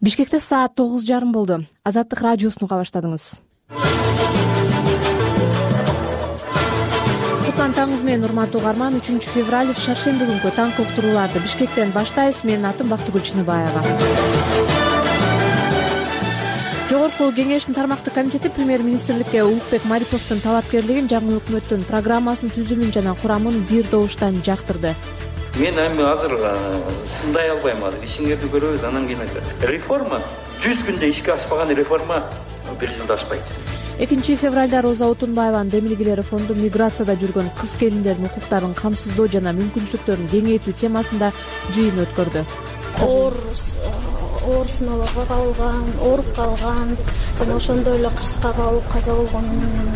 Бишкекте саат 9:30 болду. Азаттык радиосун уга баштадыңыз. Кутлантаңыз менен урматтуу угарман. 3 февраль шаршемби күнкү таңкы уктурууларды Бишкектен баштайбыз. Менин атым Бактыгүл Чыныбаева. Жогорку кеңештин тармактык комитети премьер-министрликке Улукбек Мариповдун талапкерлигин жаңы өкмөттүн программасынын түзүмүн жана курамын бир добуштан жактырды. Мен азыр сындай албайм. Ишиңерди көрөбүз, анан кийин айтат. Реформа 100 күндө ишке ашпаган реформа 1 жылда ашпайт. 2 февралда Роза Отунбаеванын Демилгилери фонду миграцияда жүргөн кыз-келиндердин укуктарын камсыздоо жана мүмкүнчүлүктөрүн кеңейтүү темасында жыйын өткөрдү. Оор сыноолорго кабылган, ооруп калган жана ошондой эле кырсыкка кабылып каза болгон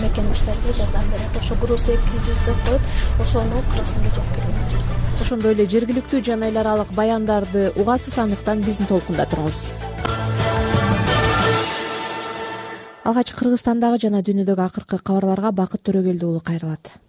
мекемештерге жардам берет. Ошо груз 200 деп коет, ошону кыргызстанга жеткирген. Ошондой эле жергиликтүү жана эл аралык баяндарды угасыз, андыктан биздин толкунда туруңуз. Алгач Кыргызстандагы жана дүйнөдөгү акыркы кабарларга Бакыт Төрөгелди уулу кайрылат.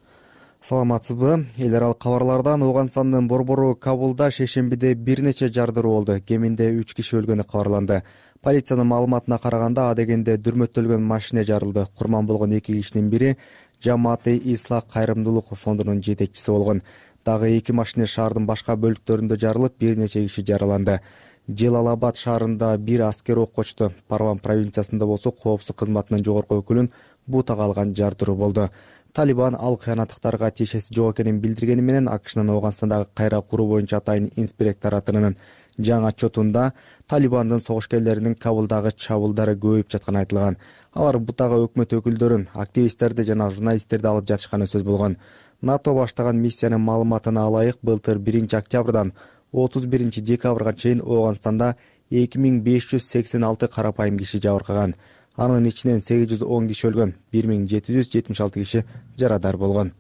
Саламатсызбы? Эл аралык кабарлардан Ооганстандын борбору Кабулда шейшембиде бир нече жардыруу болду. Кеминде 3 киши өлгөнү кабарланды. Полициянын маалыматына караганда адегенде дүрмөттөлгөн машина жарылды. Курман болгон 2 кишинин бири Жамааты Ислах кайрымдуулук фондунун жетекчиси болгон. Дагы 2 машина шаардын башка бөлүктөрүндө жарылып, бир нече киши жараланды. Желалабад шаарында бир аскер ок очту. Парван провинциясында болсо коопсуздук кызматынын жогорку өкүлүн бутага алган жардыруу болду. Талибан ал кыянаттыктарга тиешеси жок экенин билдиргени менен АКШнын Ооганстандагы кайра куруу боюнча атайын инспекторатынын жаңы отчетунда Талибандын согушкерлеринин Кабулдагы чабуулдары көбөйүп жатканы айтылган. Алар бутага өкмөт өкүлдөрүн, активисттерди жана журналисттерди алып жатышканы сөз болгон. НАТО баштаган миссиянын маалыматына ылайык, былтыр 1 октябрдан 31 декабрга чейин Ооганстанда 2586 карапайым киши жабыркаган. Анын ичинен 810 киши өлгөн, 1776 киши жарадар болгон.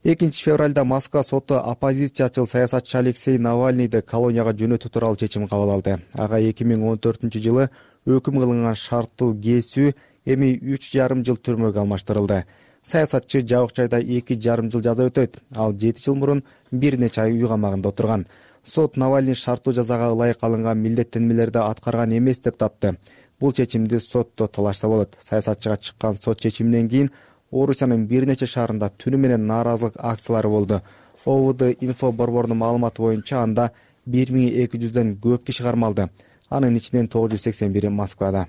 2 февралда Москва соту оппозициячыл саясатчы Алексей Навальныйды колонияга жөнөтүү тууралуу чечим кабыл алды. Ага 2014 жылы өкүм кылынган шарттуу кесүү эми 3,5 жыл түрмөгө алмаштырылды. Саясатчы жабык жайда 2,5 жыл жаза өтөйт. Ал 7 жыл мурун бир нече ай үй камагында отурган. Сот Навальный шарттуу жазага ылайык алынган милдеттенмелерди аткарган эмес деп тапты. Бул чечимди сотто талашса болот. Саясатчыга чыккан сот чечиминен кийин Орусиянын бир нече шаарында түнү менен нааразылык акциялары болду. ОВД инфо борборунун маалыматы боюнча анда 1200дөн көп киши кармалды. Анын ичинен 981 Москвада.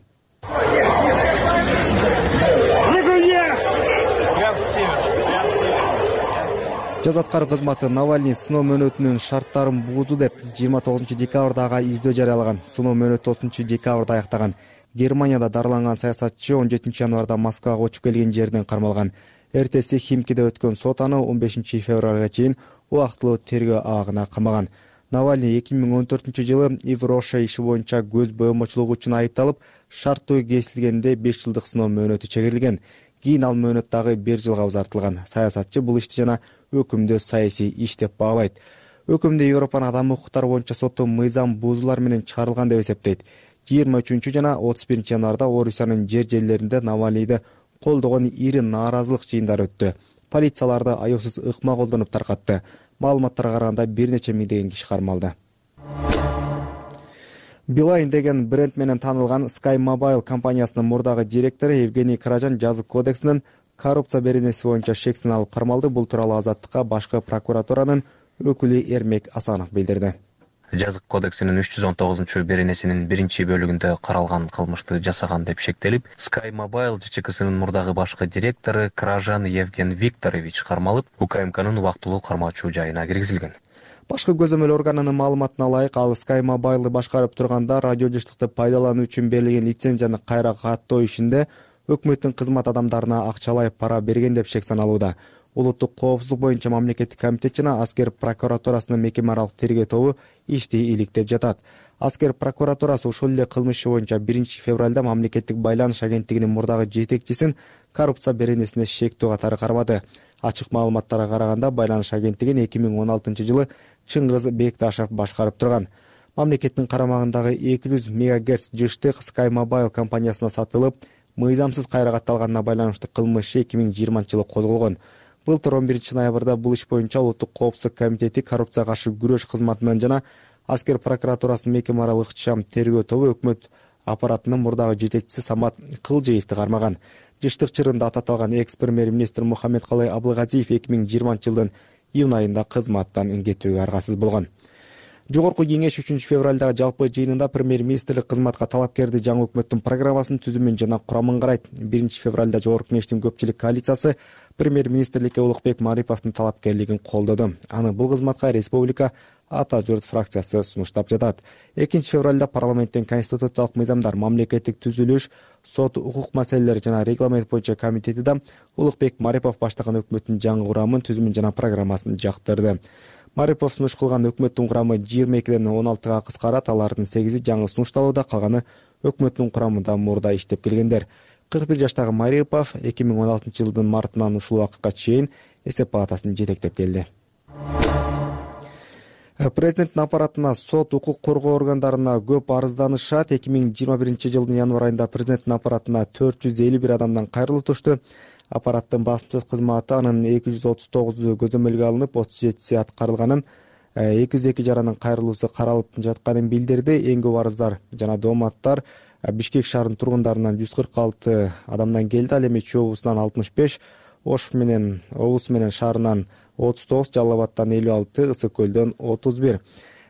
Жаза аткаруу кызматы Навальный сыноо мөөнөтүнүн шарттарын буузду деп 29 декабрда ага издөө жарыялаган. Сыноо мөөнөтү 30 декабрда аяктаган. Германияда дарыланган саясатчы 17 январда Москвага учуп келген жерден кармалган. Эртеси Химкиде өткөн сот аны 15 февралга чейин убактылуу тергөө абагына камаган. Навальный 2014 жылы Ивроша иши боюнча көз боомочулугу үчүн айыпталып, шарттуу кесилгенде 5 жылдык сыноо мөөнөтү чегерилген. Кийин ал мөөнөт дагы 1 жылга узартылган. Саясатчы бул ишти жана өкүмдү саясий иш деп баалайт. Өкүмдө Европанын адам укуктары боюнча соту мыйзам бузуулар менен чыгарылган деп эсептейт. 23 жана 31 январда Орусиянын жерлеринде Навальныйды колдогон ири нааразылык жыйындары өттү. Полицияларды аяусуз ыкма колдонуп таркатты. Маалыматтарга караганда бир нече миңдеген киши кармалды. Билайн деген бренд менен таанылган Sky Mobile компаниясынын мурдагы директору Евгений Каражан жазык кодексинин коррупция беренеси боюнча шексин алып кармалды. Бул тууралуу Азаттыкка башкы прокуратуранын өкүлү Эрмек Асанов билдирди. Жазык кодексинин 319 беренесинин 1-бөлүгүндө каралган кылмышты жасаган деп шектелип, Sky Mobile ЖЧКсынын мурдагы башкы директору Каражан Евген Викторович кармалып, УКМКнын убактылуу кармоочу жайына киргизилген. Башкы көзөмөл органынын маалыматына ылайык, ал Sky Mobile'ды башкарып турганда радиожыштыкты пайдалануу үчүн берилген лицензияны кайра каттоо ишинде өкмөттүн кызмат адамдарына акчалай пара берген деп шек саналууда. Улуттук коопсуздук боюнча мамлекеттик комитет жана Аскер прокуратурасынын мекеме аралык тергөө тобу ишти иликтеп жатат. Аскер прокуратурасы ушул эле кылмыш иши боюнча 1 февралда мамлекеттик байланыш агенттигинин мурдагы жетекчисин коррупция беренесине шектүү катары кармады. Ачык маалыматтарга караганда байланыш агенттигин 2016 жылы Чыңгыз Бекташев башкарып турган. Мамлекеттин карамагындагы 200 МГц жыштык Sky Mobile компаниясына сатылып, мыйзамсыз кайра катталганына байланыштуу кылмыш 2020 жылы козголгон. Былтыр 11 ноябрда бул иш боюнча Улуттук коопсуздук комитети коррупцияга каршы күрөш кызматынан жана Аскер прокуратурасынын мекеме аралык ыкчам тергөө тобу өкмөт аппаратынын мурдагы жетекчиси Самат Кылжеевди кармаган. Жыштык чырында аты аталган экс-премьер-министр Мухаммедкалый Абылгазиев 2020 жылдын июнь айында кызматтан кетүүгө аргасыз болгон. Жогорку кеңеш 3 февралдагы жалпы жыйынында премьер-министрлик кызматка талапкерди жаңы өкмөттүн программасын түзүмүн жана курамын карайт. 1 февралда жогорку кеңештин көпчүлүк коалициясы премьер-министрликке Улукбек Мариповдун талапкерлигин колдоду. Аны бул кызматка республика Ата журт фракциясы сунуштап жатат. 2 февралда парламенттин конституциялык мыйзамдар, мамлекеттик түзүлүш, сот, укук маселелери жана регламент боюнча комитети да Улукбек Марипов баштаган өкмөттүн жаңы курамын, түзүмүн жана программасын жактырды. Марипов сунуш кылган өкмөттүн курамы 22ден 16га кыскарат, алардын 8и жаңы сунушталууда, калганы өкмөттүн курамында мурда иштеп келгендер. 41 жаштагы Марипов 2016 жылдын мартынан ушул убакытка чейин эсеп палатасын жетектеп келди. Президенттин аппаратына, сот, укук коргоо органдарына көп арызданышат. 2021 жылдын январ айында президенттин аппаратына 451 адамдан кайрылуу түштү. Аппараттын басымчылык кызматы анын 239 көзөмөлгө алынып, 37 аткарылганын, 202 жаранын кайрылуусу каралып жатканын билдирди. Эң көп арыздар жана дооматтар Бишкек шаарынын тургундарынан 146 адамдан келди. Ал эми Чүй облусунан 65, Ош менен облусу менен шаарынан 39, Жалал Абадтан 56, Ысык Көлдөн 31.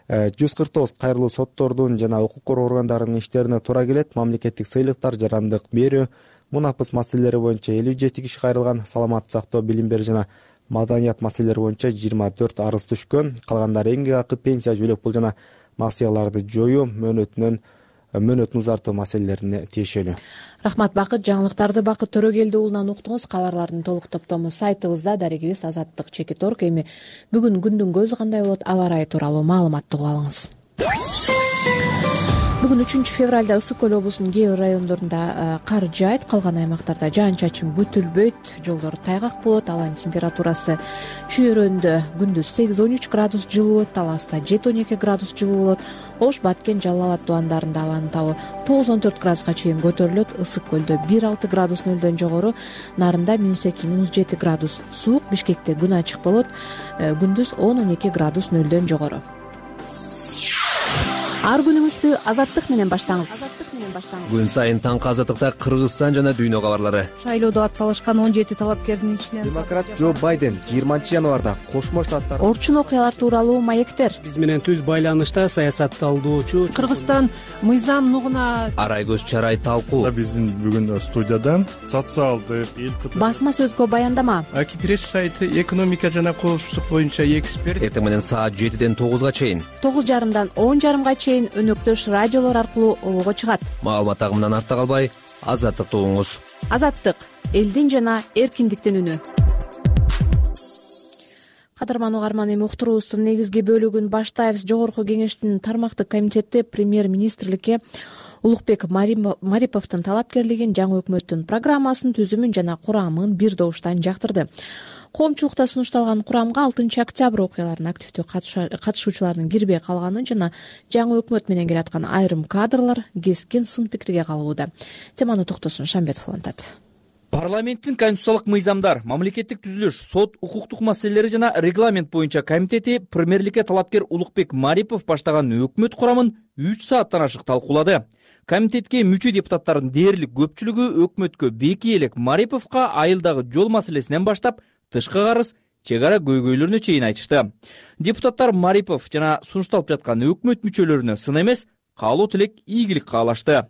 149 кайрылуу соттордун жана укук коргоо органдарынын иштерине туура келет. Мамлекеттик сыйлыктар, жарандык берүү, мунапыс маселелери боюнча 57 киши кайрылган. Саламаттык сактоо, билим берүү жана маданият маселелери боюнча 24 арыз түшкөн. Калгандары эмгек акы, пенсия, жөлөк пул жана насыяларды жоюу, мөөнөтүн узартуу маселелерине тиешелүү. Рахмат Бакыт. Жаңылыктарды Бакыт Төрөгелди уулунан уктуңуз. Кабарлардын толук топтому сайтыбызда, дарегибиз azattik.org. Эми бүгүн күндүн көзү кандай болот, аба ырайы тууралуу маалыматты угуп алыңыз. Бүгүн 3 февралда Ысык Көл облусунун кээ бир райондорунда кар жаайт, калган аймактарда жаан-чачын күтүлбөйт, жолдор тайгак болот. Абанын температурасы Чүйөрөндө күндүз 8-13 градус жылуу болот, Таласта 7-12 градус жылуу болот. Ош, Баткен, Жалал Абад тубандарында абанын табы 9-14 градуска чейин көтөрүлөт. Ысык Көлдө 1-6 градус нөлдөн жогору, Нарында -2, -7 градус суук. Бишкекте күн ачык болот, күндүз 10-12 градус нөлдөн жогору. Ар күнүңүздү Азаттык менен баштаңыз. Күн сайын таңкы Азаттыкта Кыргызстан жана дүйнө кабарлары. Шайлоодо атсалышкан 17 талапкердин ичинен Демократ Джо Байден 20 январда Кошмо Штаттар Орчун окуялар тууралуу маектер. Биз менен түз байланышта саясатталдоочу Кыргызстан мыйзам нугуна Арай көз чарай талкуу. Биздин бүгүн студиядан социалдык Басма сөзгө баяндама. Акипресс сайты экономика жана коопсуздук боюнча эксперт. Эртең менен саат 7ден 9га чейин, 9:30дан 10:30га чейин өнөктөш радиолор аркылуу обого чыгат. маалымат агымынан артта калбай, Азаттыкты угуңуз. Азаттык — элдин жана эркиндиктин үнү. Кадырман угарман, эми уктуруубуздун негизги бөлүгүн баштайбыз. Жогорку кеңештин тармактык комитети премьер-министрликке Улукбек Мариповдун талапкерлигин, жаңы өкмөттүн программасын, түзүмүн жана курамын бир добуштан жактырды. Коомчулукта сунушталган курамга 6 октябрь окуяларына активдүү катышуучулардын кирбей калганын жана жаңы өкмөт менен келаткан айрым кадрлар кескин сын пикирге кабылууда. Теманы Токтосун Шамбетов улантат. Парламенттин конституциялык мыйзамдар, мамлекеттик түзүлүш, сот, укуктук маселелери жана регламент боюнча комитети премьерликке талапкер Улукбек Марипов баштаган өкмөт курамын 3 сааттан ашык талкуулады. Комитетке мүчө депутаттардын дээрлик көпчүлүгү өкмөткө беки элек Мариповго айылдагы жол маселесинен баштап тышкы карыз, чек ара көйгөйлөрүнө чейин айтышты. Депутаттар Марипов жана сунушталып жаткан өкмөт мүчөлөрүнө сын эмес, каалоо тилек, ийгилик каалашты.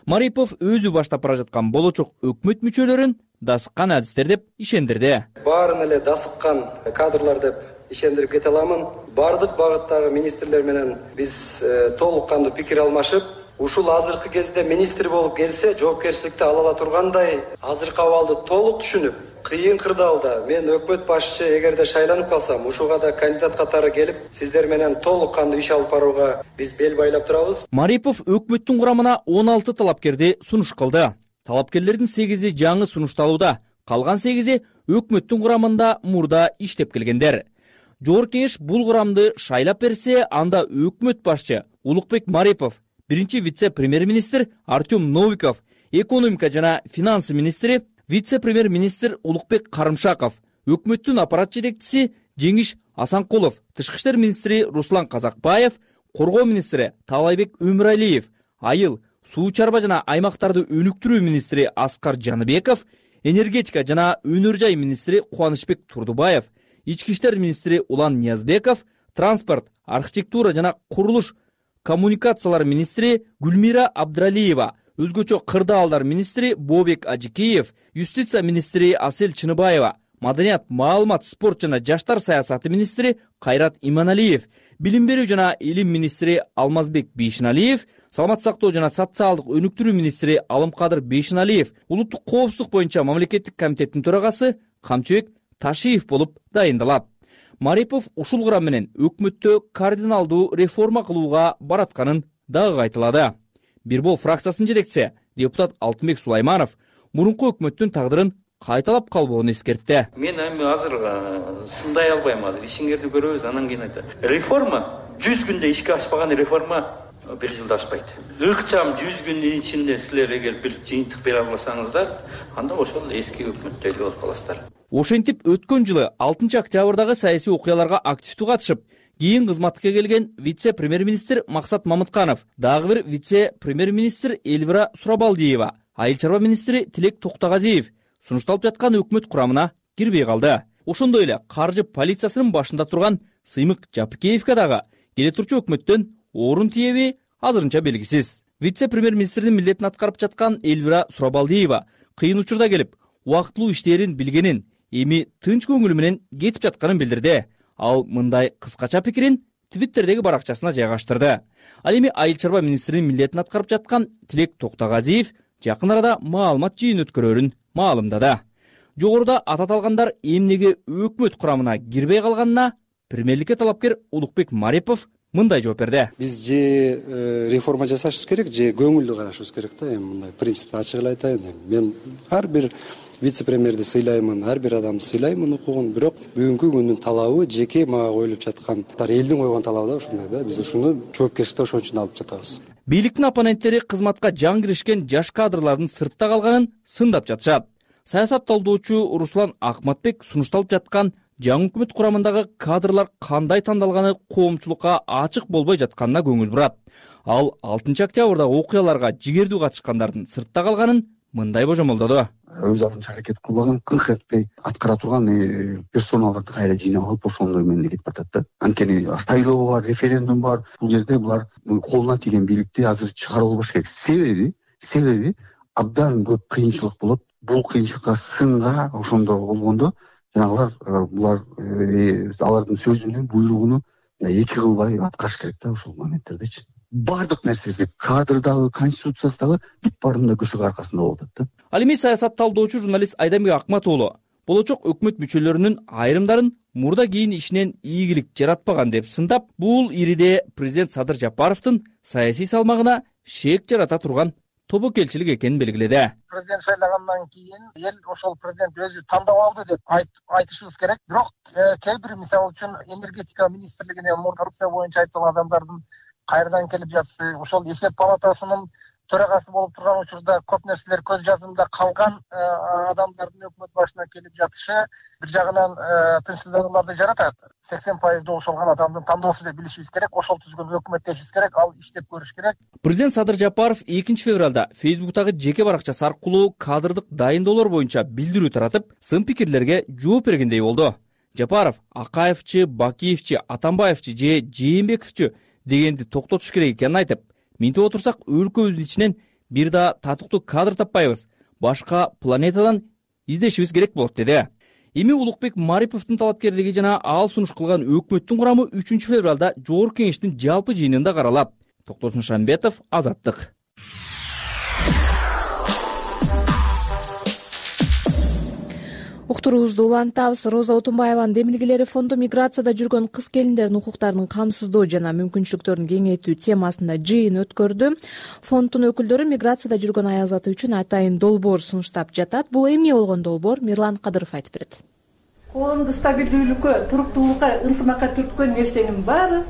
Марипов өзү баштап бара жаткан болочок өкмөт мүчөлөрүн дасыккан адистер деп ишендирди. Баарын эле дасыккан кадрлар деп ишендирип кете аламын. Бардык багыттагы министрлер менен биз толук кандуу пикир алмашып, ушул азыркы кезде министр болуп келсе, жоопкерчиликти ала ала тургандай азыркы абалды толук түшүнүп, кыйын кырдаалда мен өкмөт башчы эгерде шайланып калсам, ушуга да кандидат катары келип, сиздер менен толук кандуу иш алып барууга биз бел байлап турабыз. Марипов өкмөттүн курамына 16 талапкерди сунуш кылды. Талапкерлердин 8и жаңы сунушталууда, калган 8и өкмөттүн курамында мурда иштеп келгендер. Жогорку кеңеш бул курамды шайлап берсе, анда өкмөт башчы Улукбек Марипов, биринчи вице-премьер-министр Артем Новиков, экономика жана финансы министри вице-премьер-министр Улукбек Карымшаков, өкмөттүн аппарат жетекчиси Жеңиш Асанкулов, тышкы иштер министри Руслан Казакбаев, коргоо министри Таалайбек Өмүралиев, айыл, суу чарба жана аймактарды өнүктүрүү министри Аскар Жаныбеков, энергетика жана өнөр жай министри Кубанычбек Турдубаев, ички иштер министри Улан Ниязбеков, транспорт, архитектура жана курулуш коммуникациялар министри Гүлмира Абдралиева, өзгөчө кырдаалдар министри Бообек Ажикеев, юстиция министри Асель Чыныбаева, маданият, маалымат, спорт жана жаштар саясаты министри Кайрат Иманалиев, билим берүү жана илим министри Алмазбек Бейшеналиев, саламат сактоо жана социалдык өнүктүрүү министри Алымкадыр Бейшеналиев, улуттук коопсуздук боюнча мамлекеттик комитеттин төрагасы Камчыбек Ташиев болуп дайындалат. Марипов ушул курам менен өкмөттө кардиналдуу реформа кылууга баратканын дагы айтылады. Бир бол фракциясынын жетекчиси депутат Алтынбек Сулайманов мурунку өкмөттүн тагдырын кайталап калбоонун эскертти. Мен эми азыр сындай албайм, азыр ишиңерди көрөбүз, анан кийин айтат. Реформа 100 күндө ишке ашпаган реформа 1 жылда ашпайт. Ыкчам 100 күндүн ичинде силер эгер бир жыйынтык бере албасаңыздар, анда ошол эски өкмөттөй эле болуп каласыздар. Ошентип өткөн жылы 6 октябрдагы саясий окуяларга активдүү катышып, кийин кызматка келген вице-премьер-министр Максат Мамытканов, дагы бир вице-премьер-министр Элвира Сурабалдиева, айыл чарба министри Тилек Токтогазиев сунушталып жаткан өкмөт курамына кирбей калды. Ошондой эле каржы полициясынын башында турган Сыймык Жапыкеевке дагы келе турчу өкмөттөн орун тиеби азырынча белгисиз. Вице-премьер-министрдин милдетин аткарып жаткан Элвира Сурабалдиева кыйын учурда келип, убактылуу иштерин билгенин, эми тынч көңүлү менен кетип жатканын билдирди. Ал мындай кыскача пикирин Твиттердеги баракчасына жайгаштырды. Ал эми айыл чарба министринин милдетин аткарып жаткан Тилек Токтогазиев жакын арада маалымат жыйын өткөрөрүн маалымдады. Жогоруда ататалгандар эмнеге өкмөт курамына кирбей калганына премьерликке талапкер Улукбек Марипов мындай жооп берди. Биз же реформа жасашыбыз керек, же көңүлдүү карашыбыз керек да. Эми мындай принципти ачык эле айтайын. Мен ар бир вице-премьерди сыйлаймын, ар бир адамды сыйлаймын укугун, бирок бүгүнкү күндүн талабы жеке мага коюлуп жаткан, элдин койгон талабы да ушундай да. Биз ушуну жоопкерчиликти ошон үчүн алып жатабыз. Бийликтин оппоненттери кызматка жан киришкен жаш кадрлардын сыртта калганын сындап жатышат. Саясат талдоочу Руслан Акматбек сунушталып жаткан жаңы өкмөт курамындагы кадрлар кандай тандалганы коомчулукка ачык болбой жатканына көңүл бурат. Ал 6 октябрдагы окуяларга жигердүү катышкандардын сыртта калганын мындай божомолдоду. Өз алдынча аракет кылбаган, кыңк этпей аткара турган персоналарды кайра жыйнап алып ошондой менен кетип атат да. Анткени шайлоо бар, референдум бар. Бул жерде булар колуна тиген бийликти азыр чыгарып албаш керек. Себеби абдан көп кыйынчылык болот. Бул кыйынчылыкка сынга ошондо болгондо жанагылар булар алардын сөзүнү, буйругуну эки кылбай аткарыш керек да ошол моменттердечи. Бардык нерсеси кадрдагы, конституциясындагы бүт баарында көшөгө аркасында болуп атат да. Ал эми саясат талдоочу журналист Айдамбек Акмат уулу болочок өкмөт мүчөлөрүнүн айрымдарын мурда кийин ишинен ийгилик жаратпаган деп сындап, бул ириде президент Садыр Жапаровдун саясий салмагына шек жарата турган тобокелчилик экенин белгиледи. Президент шайлагандан кийин эл ошол президент өзү тандап алды деп айтышыбыз керек. Бирок кээ бир мисалы үчүн энергетика министрлигине коррупция боюнча айыпталган адамдардын кайрадан келип жатышы, ошол эсеп палатасынын төрагасы болуп турган учурда көп нерселер көз жазымда калган адамдардын өкмөт башына келип жатышы бир жагынан тынчсызданууларды жаратат. 80% ошолгон адамдын тандоосу деп билишибиз керек. Ошол түзгөн өкмөттешибиз керек, ал иштеп көрүш керек. Президент Садыр Жапаров 2 февралда Facebook'тагы жеке баракчасы аркылуу кадрдык дайындоолор боюнча билдирүү таратып, сын пикирлерге жооп бергендей болду. Жапаров Акаевчи, Бакиевчи, Атамбаевчи же Жээнбековчи дегенди токтотуш керек экенин айтып, минтип отурсак өлкөбүздүн ичинен бир да татыктуу кадр таппайбыз, башка планетадан издешибиз керек болот деди. Эми Улукбек Мариповдун талапкерлиги жана ал сунуш кылган өкмөттүн курамы 3 февралда Жогорку кеңештин жалпы жыйынында каралат. Токтосун Шамбетов, Азаттык. Уктуруубузду улантабыз. Роза Отунбаеванын демилгелери фонду миграцияда жүргөн кыз келиндердин укуктарын камсыздоо жана мүмкүнчүлүктөрүн кеңейтүү темасында жыйын өткөрдү. Фонддун өкүлдөрү миграцияда жүргөн аязаты үчүн атайын долбоор сунуштап жатат. Бул эмне болгон долбоор? Мирлан Кадыров айтып берет. Коомду стабилдүүлүккө, туруктуулукка, ынтымакка түрткөн нерсенин баары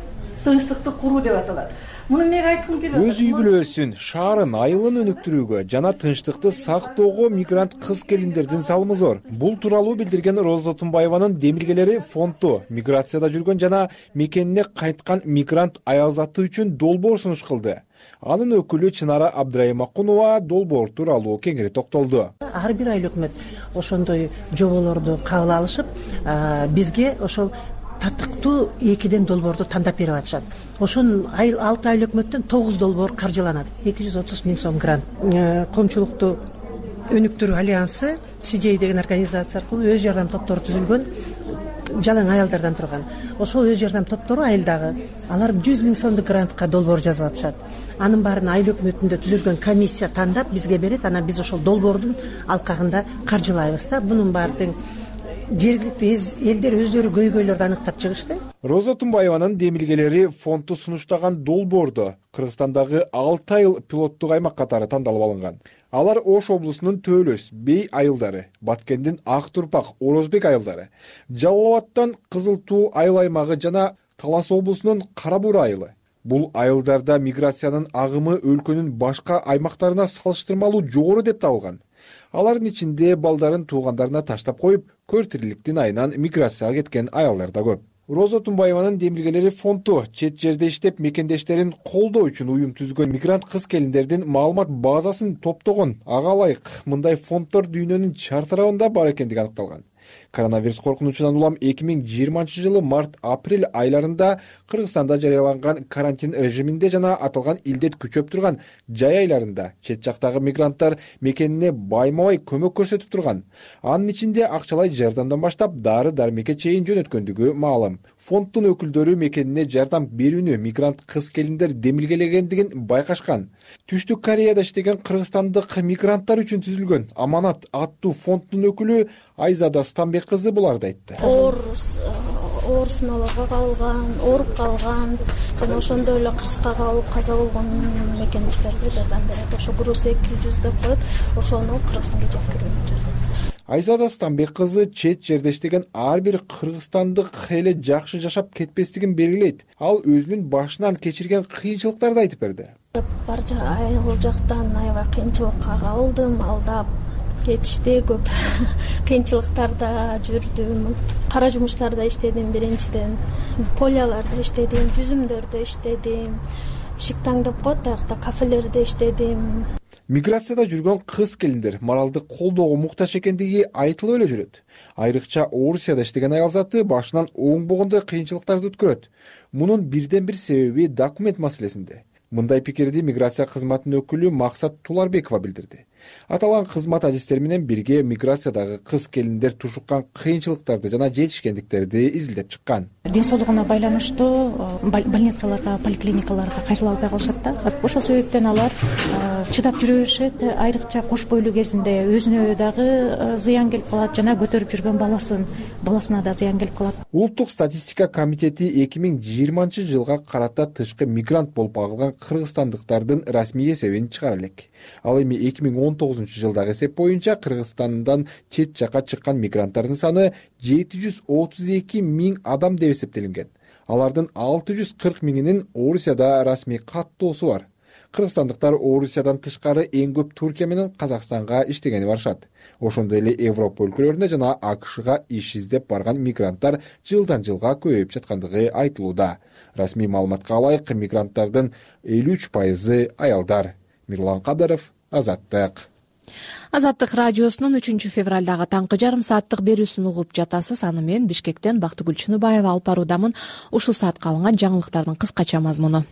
тынчтыкты куруу деп аталат. Муну эмнеге айткым келип атат? Өз үй бүлөсүн, шаарын, айылын өнүктүрүүгө жана тынчтыкты сактоого мигрант кыз келиндердин салымы зор. Бул тууралуу билдирген Роза Тумбаеванын демилгелери фонду миграцияда жүргөн жана мекенине кайткан мигрант аял заты үчүн долбоор сунуш кылды. Анын өкүлү Чынара Абдрайымакунова долбоор тууралуу кеңири токтолду. Ар бир айыл өкмөт ошондой жоболорду кабыл алышып, бизге ошол татыктуу 2 долбоорду тандап берип атышат. Ошонун 6 айыл өкмөттөн 9 долбоор каржыланат. 230 000 сом грант. Коомчулукту өнүктүрүү альянсы CDA деген организация аркылуу өз жардам топтору түзүлгөн, жалаң аялдардан турган. Ошол өз жардам топтору айылдагы алар 100 000 сомдук грантка долбоор жазып атышат. Анын баарын айыл өкмөтүндө түзүлгөн комиссия тандап бизге берет. Анан биз ошол долбоордун алкагында каржылайбыз да. Бунун баардыгын жергиликтүү элдер өздөрү көйгөйлөрдү аныктап чыгышты. Роза Тумбаеванын демилгелери фонду сунуштаган долбоордо Кыргызстандагы 6 айыл пилоттук аймак катары тандалып алынган. Алар Ош облусунун Төлөс, Бей айылдары, Баткендин Ак Турпак, Орозбек айылдары, Жалал Абадтан Кызыл Туу айыл аймагы жана Талас облусунун Кара Буура айылы. Бул айылдарда миграциянын агымы өлкөнүн башка аймактарына салыштырмалуу жогору деп табылган. Алардын ичинде балдарын туугандарына таштап коюп, көр тириликтин айынан миграцияга кеткен аялдар да көп. Роза Тумбаеванын демилгелери фонду чет жерде иштеп мекендештерин колдоо үчүн уюм түзгөн мигрант кыз келиндердин маалымат базасын топтогон. Ага ылайык мындай фонддор дүйнөнүн чар тарабында бар экендиги аныкталган. Коронавирус коркунучунан улам 2020 жылы март-апрель айларында Кыргызстанда жарыяланган карантин режиминде жана аталган илдет күчөп турган жай айларында чет жактагы мигранттар мекенине байма-бай көмөк көрсөтүп турган. Анын ичинде акчалай жардамдан баштап дары-дармекке чейин жөнөткөндүгү маалым. Фонддун өкүлдөрү мекенине жардам берүүнү мигрант кыз келиндер демилгелегендигин байкашкан. Түштүк Кореяда иштеген кыргызстандык мигранттар үчүн түзүлгөн Аманат аттуу фонддун өкүлү Айзада Станбек кызы буларды айтты. Оорусуналарга калган, ооруп калган жана ошондой эле кырсыкка кабылып каза болгон мекендештерге жардам берет. Ошо груз 200 деп коет, ошону Кыргызстанга жеткирүү. Айзада Станбек кызы чет жерде иштеген ар бир кыргызстандык эле жакшы жашап кетпестигин белгилейт. Ал өзүнүн башынан кечирген кыйынчылыктарды айтып берди. Барча айыл жактан аябай кыйынчылыкка кабылдым, алдап кетишти, көп кыйынчылыктарда жүрдүм. Кара жумуштарда иштедим биринчиден, полияларда иштедим, жүзүмдөрдө иштедим, шиктаң деп коет, аякта кафелерде иштедим. Миграцияда жүргөн кыз келиндер моралдык колдоого муктаж экендиги айтылып эле жүрөт. Айрыкча Орусияда иштеген аял заты башынан оңбогондой кыйынчылыктарды өткөрөт. Мунун бирден бир себеби документ маселесинде. Мындай пикирди миграция кызматынын өкүлү Максат Туларбекова билдирди. Аталган кызмат адистери менен бирге миграциядагы кыз келиндер тушуккан кыйынчылыктарды жана жетишкендиктерди изилдеп чыккан. Ден соолугуна байланыштуу больницаларга, поликлиникаларга кайрыла албай калышат да. Ошол себептен алар чыдап жүрө беришет. Айрыкча кош бойлуу кезинде өзүнө дагы зыян келип калат, жана көтөрүп жүргөн баласына да зыян келип калат. Улуттук статистика комитети 2020 жылга карата тышкы мигрант болуп калган кыргызстандыктардын расмий эсебин чыгара элек. Ал эми 2019 жылдагы эсеп боюнча Кыргызстандан чет жакка чыккан мигранттардын саны 732 000 адам деп эсептелинген. Алардын 640 000-инин Орусияда расмий каттоосу бар. Кыргызстандыктар Орусиядан тышкары эң көп Туркия менен Казакстанга иштегени барышат. Ошондой эле Европа өлкөлөрүнө жана АКШга иш издеп барган мигранттар жылдан жылга көбөйүп жаткандыгы айтылууда. Расмий маалыматка ылайык мигранттардын 53% аялдар. Мирлан Кадыров, Азаттык. Азаттык радиосунун 3 февралдагы таңкы жарым сааттык берүүсүн угуп жатасыз. Аны мен Бишкектен Бактыгүл Чыныбаева алып баруудамын. Ушул саатка алынган жаңылыктардын кыскача мазмуну.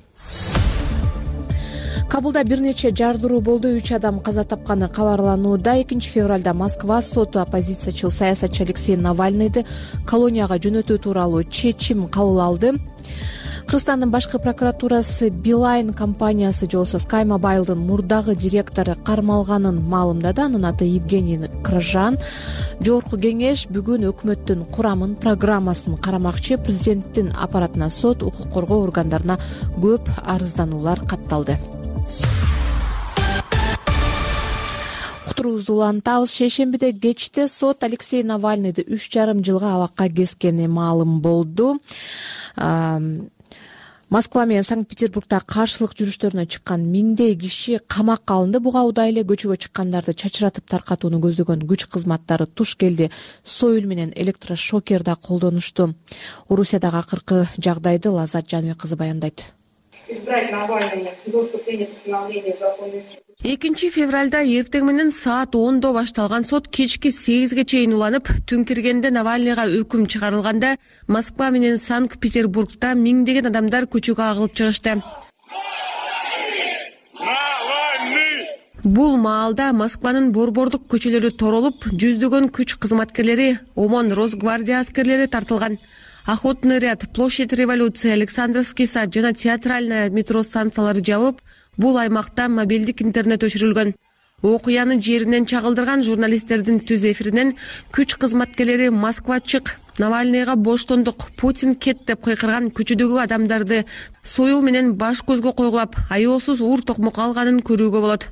Кабулда бир нече жардыруу болду, 3 адам каза тапканы кабарланууда. 2 февралда Москва соту оппозициячыл саясатчы Алексей Навальныйды колонияга жөнөтүү тууралуу чечим кабыл алды. Кыргызстандын башкы прокуратурасы Билайн компаниясы жолсо Sky Mobile'дын мурдагы директору кармалганын маалымдады. Анын аты Евгений Крыжан. Жогорку кеңеш бүгүн өкмөттүн курамын, программасын карамакчы. Президенттин аппаратына, сот, укук коргоо органдарына көп арыздануулар катталды. Уктуруубузду улантабыз. Шейшембиде кечте сот Алексей Навальныйды 3,5 жылга абакка кескени маалым болду. Москва менен Санкт-Петербургда каршылык жүрүштөрүнө чыккан миңдей киши камакка алынды. Буга удай эле көчөгө чыккандарды чачыратып таркатууну көздөгөн күч кызматтары туш келди, союл менен электрошокер да колдонушту. Орусиядагы акыркы жагдайды Лазат Жаныбек кызы баяндайт. 2 февралда эртең менен саат 10до башталган сот кечки 8ге чейин уланып, түн киргенде Навальныйга өкүм чыгарылганда Москва менен Санкт-Петербургда миңдеген адамдар көчөгө агылып чыгышты. Бул маалда Москванын борбордук көчөлөрү торолуп, жүздөгөн күч кызматкерлери, ОМОН, Росгвардия аскерлери тартылган. Охотный ряд, площадь революции, Александровский сад жана театральная метро станциялары жабып, бул аймакта мобилдик интернет өчүрүлгөн. Окуяны жеринен чагылдырган журналисттердин түз эфиринен күч кызматкерлери Москва чык, Навальныйга боштондук, Путин кет деп кыйкырган көчөдөгү адамдарды союл менен баш көзгө койгулап, аеосуз ур токмок алганын көрүүгө болот.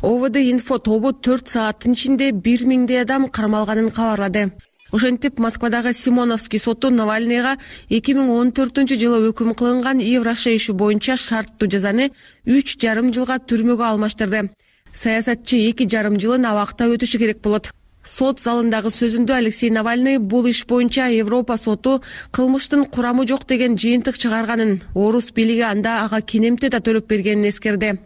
ОВД инфо тобу 4 сааттын ичинде 1000 адам кармалганын кабарлады. Ошентип, Москвадагы Симоновский соту Навальныйга 2014-жылы өкүм кылынган Евраша иши боюнча шарттуу жазаны 3,5 жылга түрмөгө алмаштырды. Саясатчы 2,5 жылын абакта өтүшү керек болот. Сот залындагы сөзүндө Алексей Навальный бул иш боюнча Европа соту кылмыштын курамы жок деген жыйынтык чыгарганын, орус бийлиги анда ага кинемте да төлөп бергенин эскерди.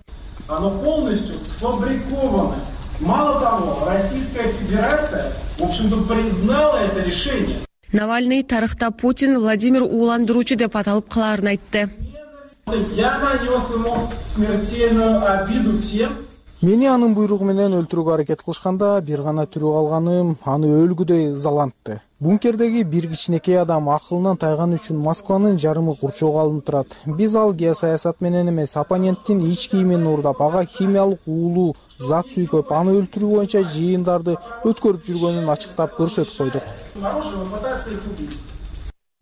Оно полностью сфабриковано. Мало того, Российская Федерация, в общем-то, признала это решение. Навальный тарыхта Путин Владимир Уландыруучу деп аталып калаарын айтты. Я нанес ему смертельную обиду тем. Мени анын буйругу менен өлтүрүүгө аракет кылышканда бир гана тирүү калганым аны өлгүдөй ызалантты. Бункердеги бир кичинекей адам акылынан тайган үчүн Москванын жарымы курчоого алынып турат. Биз ал геосаясат менен эмес, оппоненттин ич кийимин уурдап, ага химиялык уулуу зат сүйкөп, аны өлтүрүү боюнча жыйындарды өткөрүп жүргөнүн ачыктап көрсөтүп койдук.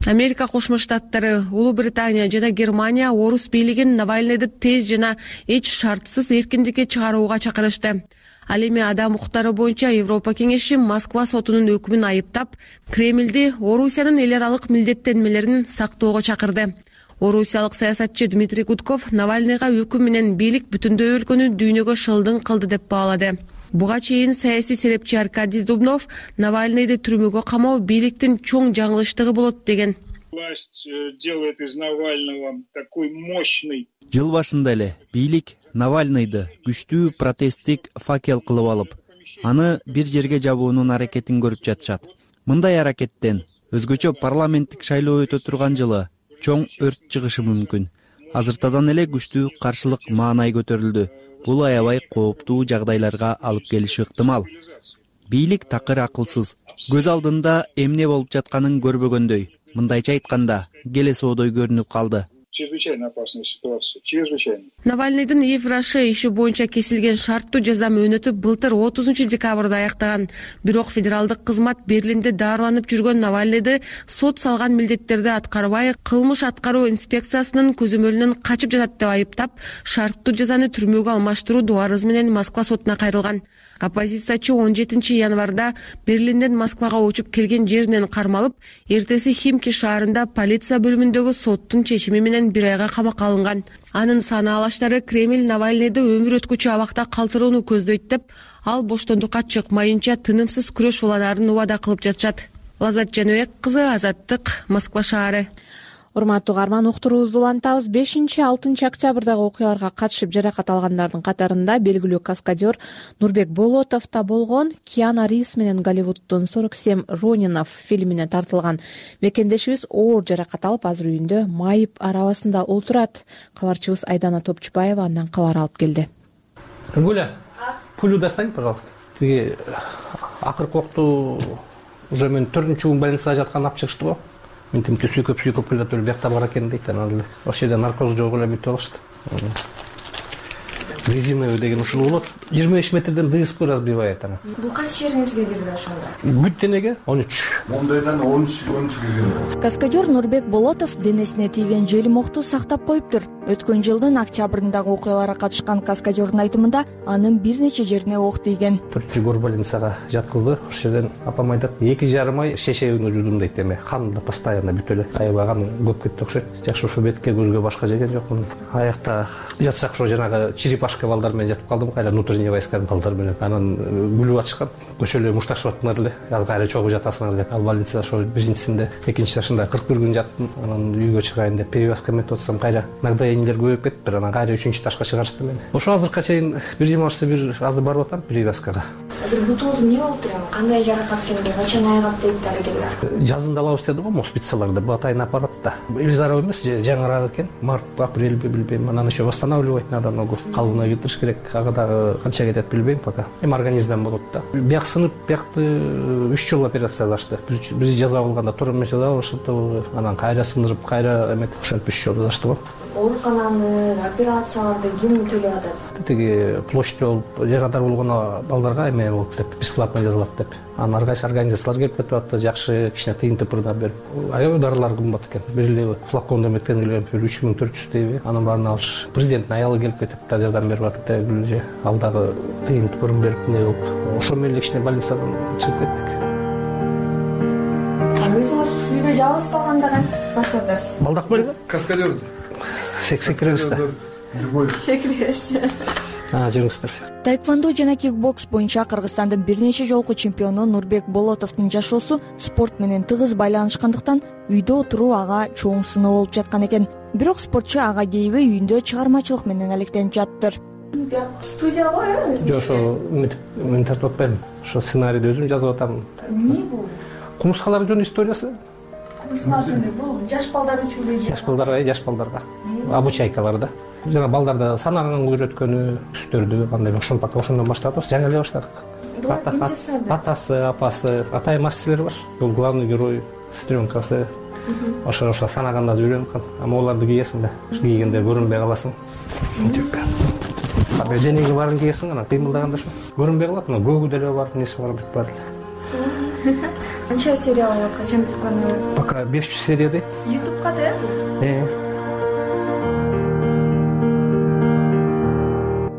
Америка Кошмо Штаттары, Улуу Британия жана Германия орус бийлигин Навальныйды тез жана эч шартсыз эркиндикке чыгарууга чакырышты. Ал эми адам укуктары боюнча Европа кеңеши Москва сотунун өкүмүн айыптап, Кремлди Орусиянын эл аралык милдеттенмелерин сактоого чакырды. Орусиялык саясатчы Дмитрий Гудков Навальныйга өкүм менен бийлик бүтүндөй өлкөнү дүйнөгө шылдың кылды деп баалады. Буга чейин саясий серепчи Аркадий Дубнов Навальныйды түрмөгө камоо бийликтин чоң жаңылыштыгы болот деген. Власть делает из Навального такой мощный. Жыл башында эле бийлик Навальныйды күчтүү протесттик факел кылып алып, аны бир жерге жабуунун аракетин көрүп жатышат. Мындай аракеттен өзгөчө парламенттик шайлоо өтө турган жылы чоң өрт чыгышы мүмкүн. Азыртадан эле күчтүү каршылык маанай көтөрүлдү. Бул аябай кооптуу жагдайларга алып келиши ыктымал. Бийлик такыр акылсыз, көз алдында эмне болуп жатканын көрбөгөндөй. Мындайча айтканда, келесоодой көрүнүп калды. Чрезвычайно опасная ситуация, чрезвычайно. Навальныйдын Евраша иши боюнча кесилген шарттуу жаза мөөнөтү былтыр 30 декабрда аяктаган. Бирок федералдык кызмат Берлинде дарыланып жүргөн Навальныйды сот салган милдеттерди аткарбай, кылмыш аткаруу инспекциясынын көзөмөлүнөн качып жатат деп айыптап, шарттуу жазаны түрмөгө алмаштыруу дуарызы менен Москва сотуна кайрылган. Оппозициячы 17 январда Берлинден Москвага учуп келген жеринен кармалып, эртеси Химки шаарында полиция бөлүмүндөгү соттун чечими менен 1 айга камакка алынган. Анын санаалаштары Кремль Навальныйды өмүр өткүчү абакта калтырууну көздөйт деп, ал боштондукка чыкмайынча тынымсыз күрөш уланаарын убада кылып жатышат. Лазат Жаныбек кызы, Азаттык, Москва шаары. Урматтуу угарман, уктуруубузду улантабыз. 5-6 октябрдагы окуяларга катышып жаракат алгандардын катарында белгилүү каскадер Нурбек Болотов да болгон. Киана Ривз менен Голливуддун 47 Ронинов фильмине тартылган мекендешибиз оор жаракат алып, азыр үйүндө майып арабасында отурат. Кабарчыбыз Айдана Топчубаева андан кабар алып келди. Гуля, пулю достань, пожалуйста. Тиги акыркы окту уже мен 4-күн больницага жаткан алып чыгышты го. Мен тимти сүйкөп келатып биякта бар экен дейт. Анан ошол жерде наркоз жок эле бүтүп алышты. Резиновый деген ушул болот. 25 метрден дыспы разбивает аны. Бул кайсы жериңизге кирди ошондо? Бүт денеге 13. Мондайдан 13 кирген. Каскадер Нурбек Болотов денесине тийген желим окту сактап коюптур. Өткөн жылдын октябрындагы окуяларга катышкан каскадердин айтымында анын бир нече жерине ок тийген. 4 горбольницага жаткызды. Ошол жерден апам айтат, 2,5 ай шешегин жудум дейт, эме канында постоянно бүтө эле. Аябай кан көп кетти окшойт. Жакшы ошо бетке көзгө башка жеген жокмун. Аякта жатсак ошо жанагы черепашка балдар менен жатып калдым, кайра внутренний войсканын балдар менен. Анан күлүп атышкан. Көчөлө мушташып аттыңар эле. Кайра чогуу жатасыңар деп. Ал больницада ошо биринчисинде, экинчи жашында 41 күн жаттым. Анан үйгө чыгайын деп перевязка метип атсам, кайра нагдаениелер көбөйүп кетти. Анан кайра 3-чү ташка чыгарышты мени. Ошо азыркыга чейин бир жимашты бир азыр барып атам перевязкага. Азыр бутуңуз эмне болуп тур? Кандай жаракат келди? Качан айыгат дейт дарыгерлер? Жазында алабыз деди го, моспицаларда бул атайын аппарат да. Элизаров эмес, жаңыраак экен. Март, апрелби билбейм. Анан еще восстанавливать надо ногу. Калыбына келтириш керек. Ага дагы канча кетет билбейм пока. Организмден болот да. Бияк сынып, биякты 3 жолу операция кылышты. Бир жаза болгондо тура эмес жаза кылышты. Анан кайра сындырып, кайра эметип ошентип 3 жолу кылышты го. Оорукананы, операцияларды ким төлөп атат? Тиги площадь болуп, жарадар болгон балдарга эме болуп деп, бесплатно жазылат деп. Анан аргайсы организациялар келип кетип атты, жакшы кичине тыйын тыпырдап берип. Аябай дарылар кымбат экен. Бир флаконду эметкен эле 3400 дейби. Анын баарын алыш. Президенттин аялы келип кетип да жардам берип атты да, ал дагы тыйын тыпырын берип эмне болуп. Ошо менен кичине больницадан чыгып кеттик. Өзүңүз үйдө жалгыз калганда кантип атасыз? Балдак беле? Каскадер. Секиребиз да. Секиребиз. Жүрүңүздөр. Таэквондо жана кикбокс боюнча Кыргызстандын бир нече жолку чемпиону Нурбек Болотовдун жашоосу спорт менен тыгыз байланышкандыктан үйдө отуруу ага чоң сыноо болуп жаткан экен. Бирок спортчу ага кейбей үйүндө чыгармачылык менен алектенип жаттыр. Студия го э? Жок, ошо мен тартып атпайм. Ошо сценарийди өзүм жазып атам. Эмне бул? Кумурскалар жөнүндө историясы. Кумурскалар жөнүндө бул жаш балдар үчүн эле? Жаш балдарга. Обучайкаларда. Жана балдарда санаганга үйрөткөнү, түстөрдү кандай ошондон баштап жаңы эле баштадык. Атасы, апасы, атай мастерler бар. Бул главный герой, сестренкасы. Ошо санаганда үйрөнүп калган. Ама оларды кийесиң да, кийгенде көрүнбөй каласың. Денеги барын кийесиң, анан кыймылдаганда ошо көрүнбөй калат. Мына көгү деле бар, неси бар, бүт бар. Канча серия болот? Качан бүтүп калды? Пока 500 серия дейт. YouTubeга да?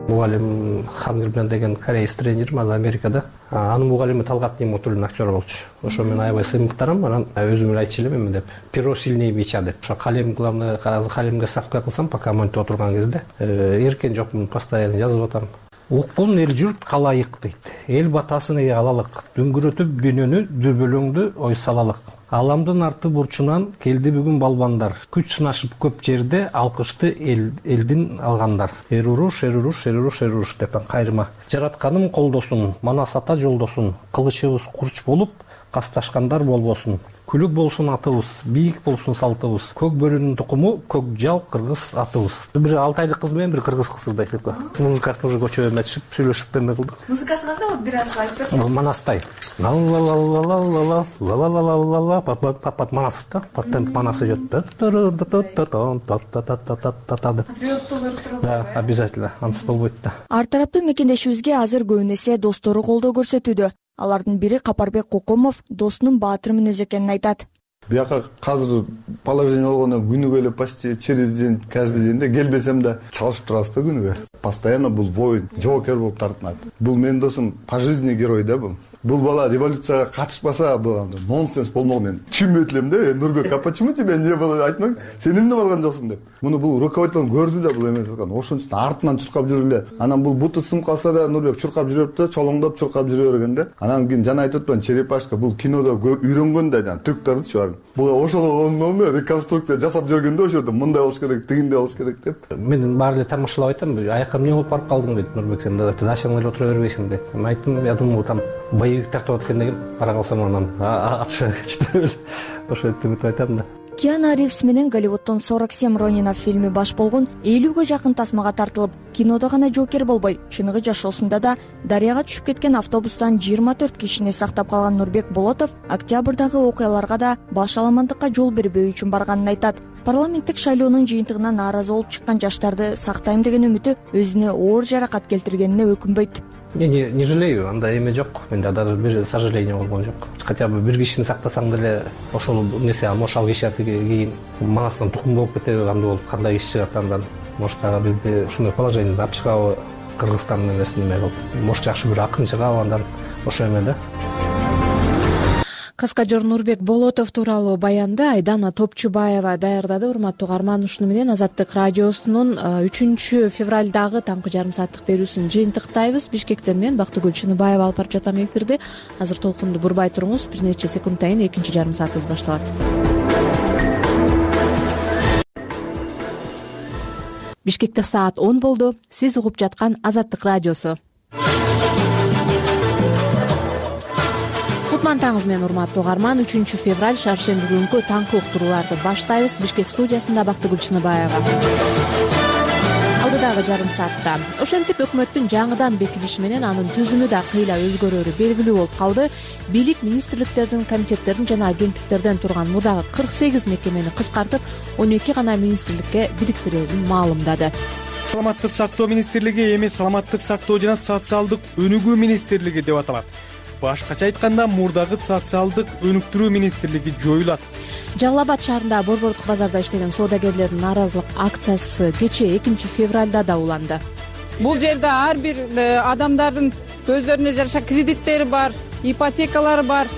Мугалим Хамгирбен деген кореец тренер, азыр Америкада. Анын мугалими Талгат Немотуллин актер болчу. Ошо мен аябай сыймыктарым, анан өзүм эле айтчу элем эме деп. Перо сильнее бича деп. Ошо калем главный, калемге ставка кылсам, пока монитор отурган кезде эркен жокмун, постоянно жазып атам. Уккун эл журт калайык дейт. Эл батасын эге алалык. Дүңгүрөтүп дүйнөнү, дөбөлөңдү ой салалык. Аламдын арты бурчунан келди бүгүн балбандар. Күч сынашып көп жерде алкышты элдин алгандар. Эруруш деп кайрыма. Жаратканым колдосун, манас ата жолдосун. Кылычыбыз курч болуп, касташкандар болбосун. Күлүк болсун атыбыз, бийик болсун салтыбыз. Көк бөрүнүн тукуму, көк жал кыргыз атыбыз. Бир 6 айлык кыз менен бир кыргыз кызды айтып. Музыкасын уже көчөгө эметишип, сүйлөшүп эме кылдык. Музыкасы кандай болот? Бир аз айтып берсеңиз. Манастай. Папат манас да. Патент манасы жөт. Да, обязательно. Ансыз болбойт да. Ар тараптуу мекендешибизге азыр көбүн эсе достору колдоо көрсөтүүдө. Алардын бири Капарбек Кокомов достунун баатыр мүнөзү экенин айтат. Бияка азыр положение болгондо күнүгө эле почти через день, каждый день да келбесем да чалышып турабыз да күнүгө. Постоянно бул воин, жоокер болуп тартынат. Бул менин досум по жизни герой да бул. Бул бала революцияга катышпаса, бул нонсенс болмок. Мен түшүнбөй элем да, Нурбек, а почему тебя не было? Айтмак, сен эмне барган жоксуң деп. Муну бул руководитель көрдү да, бул эмес экен. Ошон үчүн артынан чуркап жүрүп эле. Анан бул буту сынып калса да Нурбек чуркап жүрөп да, чолоңдоп чуркап жүрө берген да. Анан кийин жана айтып атпаймынбы, черепашка бул кинодо үйрөнгөн да, жана түрктөрдүчү бар. Бул ошол реконструкция жасап жүргөндө ошо жерде мындай болуш керек, тигиндей болуш керек деп. Мен баары эле тамашалап айтам, аяка эмне болуп барып калдың дейт Нурбек, сен да дачаңда эле отура бербейсиң дейт. Мен айттым, я думаю, там боевик тартып аткан деген бара калсам анан атыша кетти. Ошентип айтам да. Киану Ривз менен Голливудтун 47 Ронинов фильми баш болгон 50ге жакын тасмага тартылып, кинодо гана жоокер болбой, чыныгы жашоосунда да дарыяга түшүп кеткен автобустан 24 кишини сактап калган Нурбек Болотов октябрдагы окуяларга да баш аламандыкка жол бербөө үчүн барганын айтат. Парламенттик шайлоонун жыйынтыгына нааразы болуп чыккан жаштарды сактайм деген үмүтү өзүнө оор жаракат келтиргенине өкүнбөйт. Не жалею, андай эме жок. Менде даже бир сожаление болгон жок. Хотя бы бир кишини сактасаң деле ошол нерсе ошол киши кийин манасынан тукум болуп кетеби, кандай болуп кандай иш чыгат андан. Может дагы бизди ушундай положениеде алып чыгабы Кыргызстандын эмесин эме кылып. Может жакшы бир акын чыгабы андан ошо эме да. Каскадер Нурбек Болотов тууралуу баянды Айдана Топчубаева даярдады. Урматтуу угарман, ушуну менен Азаттык радиосунун 3 февралдагы таңкы жарым сааттык берүүсүн жыйынтыктайбыз. Бишкектен мен Бактыгүл Чыныбаева алып барып жатам эфирди. Азыр толкунду бурбай туруңуз, бир нече секундтан кийин экинчи жарым саатыбыз башталат. Бишкекте саат 10 болду. Сиз угуп жаткан Азаттык радиосу. Кутман таңыңыз менен урматтуу угарман. 3 февраль шаршемби күнкү таңкы уктурууларды баштайбыз. Бишкек студиясында Бактыгүл Чыныбаева. Алдыдагы жарым саатта ошентип өкмөттүн жаңыдан бекилиши менен анын түзүмү да кыйла өзгөрөрү белгилүү болуп калды. Бийлик министрликтердин, комитеттердин жана агенттиктерден турган мурдагы 48 мекемени кыскартып, 12 гана министрликке бириктирерин маалымдады. Саламаттык сактоо министрлиги эми саламаттык сактоо жана социалдык өнүгүү министрлиги деп аталат. Башкача айтканда, мурдагы социалдык өнүктүрүү министрлиги жоюлат. Жалал Абад шаарында борбордук базарда иштеген соодагерлердин нааразылык акциясы кечээ 2 февралда да уланды. Бул жерде ар бир адамдардын өздөрүнө жараша кредиттери бар, ипотекалары бар.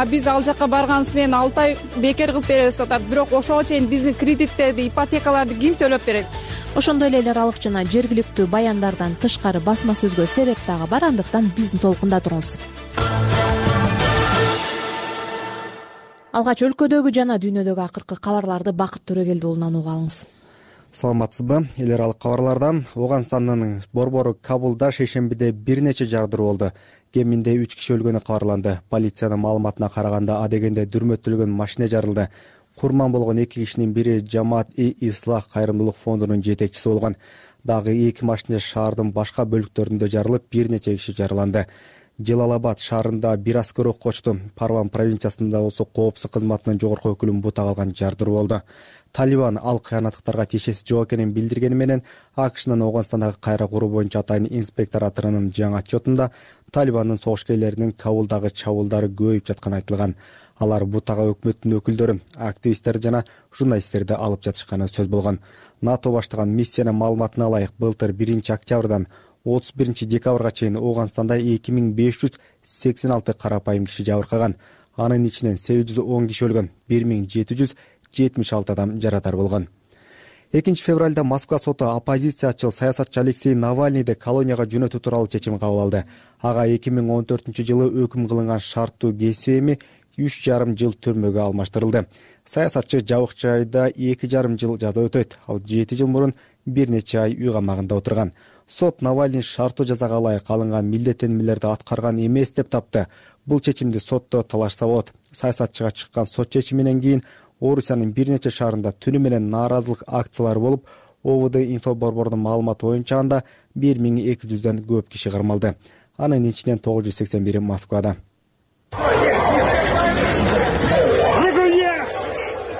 Биз ал жака барганыбыз менен 6 ай бекер кылып беребиз атат. Бирок ошого чейин биздин кредиттерди, ипотекаларды ким төлөп берет? Ошондой эле аралык жана жергиликтүү баяндардан тышкары басма сөзгө сереп дагы бар, андыктан биздин толкунда туруңуз. Алгач өлкөдөгү жана дүйнөдөгү акыркы кабарларды Бакыт Төрөгелди уулунан угуп алыңыз. Саламатсызбы? Эл аралык кабарлардан Ооганстандын борбору Кабулда шейшембиде бир нече жардыруу болду. Кеминде 3 киши өлгөнү кабарланды. Полициянын маалыматына караганда, адегенде дүрмөтүлгөн машина жарылды. Курман болгон 2 кишинин бири Жамаат-и-Ислах кайрымдуулук фондунун жетекчиси болгон. Дагы 2 машина шаардын башка бөлүктөрүндө жарылып, бир нече киши жараланды. Жалал Абад шаарында бир аскер окко очту. Парван провинциясында болсо коопсуздук кызматынын жогорку өкүлүн бутак алган жардыруу болду. Талибан ал кыянаттыктарга тиешеси жок экенин билдиргени менен АКШнын Ооганстандагы кайра куруу боюнча атайын инспекторатынын жаңы отчетунда Талибандын согушкерлеринин Кабулдагы чабуулдары көбөйүп жатканы айтылган. Алар бутага өкмөттүн өкүлдөрү, активисттер жана журналисттерди алып жатышканы сөз болгон. НАТО баштаган миссиянын маалыматына ылайык, былтыр 1 октябрдан 31 декабрга чейин Ооганстанда 2586 карапайым киши жабыркаган. Анын ичинен 810 киши өлгөн, 1776 адам жарадар болгон. 2 февралда Москва соту оппозициячыл саясатчы Алексей Навальныйды колонияга жөнөтүү тууралуу чечим кабыл алды. Ага 2014-жылы өкүм кылынган шарттуу кесүү эми 3,5 жыл түрмөгө алмаштырылды. Саясатчы жабык жайда 2,5 жыл жаза өтөйт. Ал 7 жыл мурун бир нече ай үй камагында отурган. Сот Навальный шарттуу жазага ылайык алынган милдеттенмелерди аткарган эмес деп тапты. Бул чечимди сотто талашса болот. Саясатчыга чыккан сот чечиминен кийин Орусиянын бир нече шаарында түнү менен нааразылык акциялары болуп, ОВД инфо борборунун маалыматы боюнча анда 1200дөн көп киши кармалды. Анын ичинен 981 Москвада.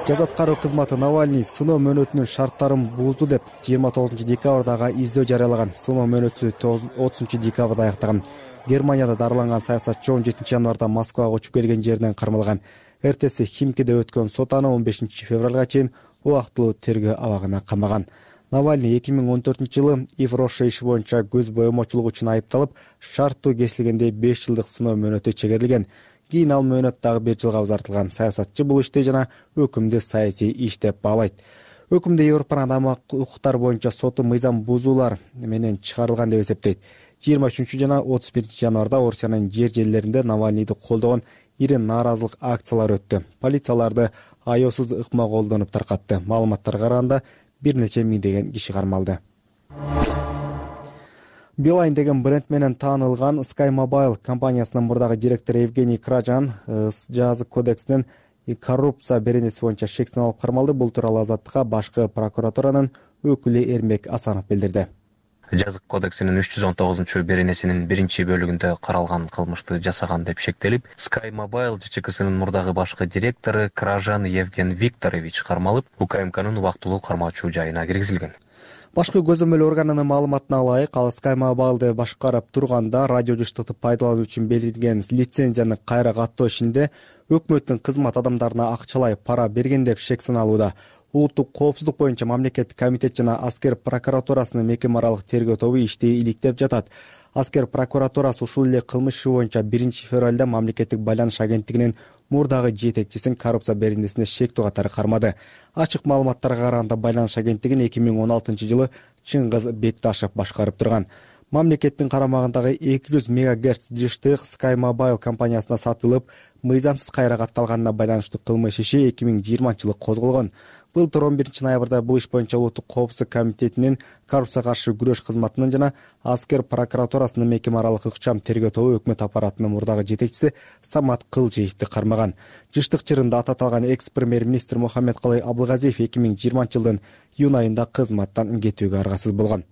Жаза аткаруу кызматы Навальный сыноо мөөнөтүнүн шарттарын бузду деп 29 декабрдагы издөө жарыялаган. Сыноо мөөнөтү 30 декабрда аяктаган. Германияда дарыланган саясатчы 17 январда Москвага учуп келген жеринен кармалган. Эртеси Химкиде өткөн сот аны 15 февралга чейин убактылуу тергөө абагына камаган. Навальный 2014-жылы Ив-Роша иши боюнча көз боемочулук үчүн айыпталып, шарттуу кесилгенде 5 жылдык сыноо мөөнөтү чегерилген. Кийин ал мөөнөт дагы 1 жылга узартылган. Саясатчы бул ишти жана өкүмдү саясий иш деп баалайт. Өкүмдө Европанын адам укуктары боюнча соту мыйзам бузуулар менен чыгарылган деп эсептейт. 23 жана 31 январда Орусиянын жер жерлеринде Навальныйды колдогон ири нааразылык акциялары өттү. Полицияларды аяосуз ыкма колдонуп таркатты. Маалыматтарга караганда бир нече миңдеген киши кармалды. Билайн деген бренд менен таанылган Sky Mobile компаниясынын мурдагы директору Евгений Кражан жазык кодексинин коррупция беренеси боюнча шектен алып кармалды. Бул тууралуу Азаттыкка башкы прокуратуранын өкүлү Эрмек Асанов билдирди. Жазык кодексинин 319 беренесинин 1-бөлүгүндө каралган кылмышты жасаган деп шектелип, Sky Mobile ЖЧКсынын мурдагы башкы директору Кражан Евген Викторович кармалып, УКМКнын убактылуу кармоочу жайына киргизилген. Башкы көзөмөл органынын маалыматына ылайык, ал Sky Mobile'ды башкарып турганда радио жыштыкты пайдалануу үчүн берилген лицензияны кайра каттоо ишинде өкмөттүн кызмат адамдарына акчалай пара берген деп шек саналууда. Улуттук коопсуздук боюнча мамлекеттик комитет жана аскер прокуратурасынын мекеме аралык тергөө тобу ишти иликтеп жатат. Аскер прокуратурасы ушул эле кылмыш иши боюнча 1-февралда мамлекеттик байланыш агенттигинин мурдагы жетекчисин коррупция беренесине шектүү катары кармады. Ачык маалыматтарга караганда байланыш агенттигин 2016-жылы Чыңгыз Бекташев башкарып турган. Мамлекеттин карамагындагы 200 МГц жыштык Sky Mobile компаниясына сатылып, мыйзамсыз кайра катталганына байланыштуу кылмыш иши 2020-жылы козголгон. Былтыр 11-ноябрда бул иш боюнча Улуттук коопсуздук комитетинин коррупцияга каршы күрөш кызматынын жана аскер прокуратурасынын мекеме аралык ыкчам тергөө тобу өкмөт аппаратынын мурдагы жетекчиси Самат Кылжиевди кармаган. Жыштык чырында аты аталган экс-премьер-министр Мухаммедкалый Абылгазиев 2020-жылдын июнь айында кызматтан кетүүгө аргасыз болгон.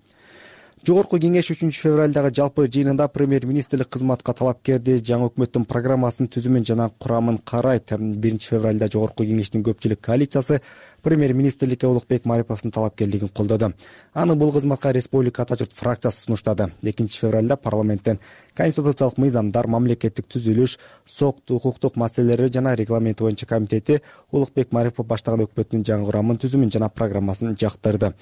Жогорку кеңеш 3-февралдагы жалпы жыйынында премьер-министрлик кызматка талапкерди жаңы өкмөттүн программасынын түзүмүн жана курамын карайт. 1-февралда жогорку кеңештин көпчүлүк коалициясы премьер-министрликке Улукбек Мариповдун талапкерлигин колдоду. Аны бул кызматка Республика Ата журт фракциясы сунуштады. 2-февралда парламенттен конституциялык мыйзамдар, мамлекеттик түзүлүш, сот, укуктук маселелери жана регламенти боюнча комитети Улукбек Марипов баштаган өкмөттүн жаңы курамын түзүмүн жана программасын жактырды.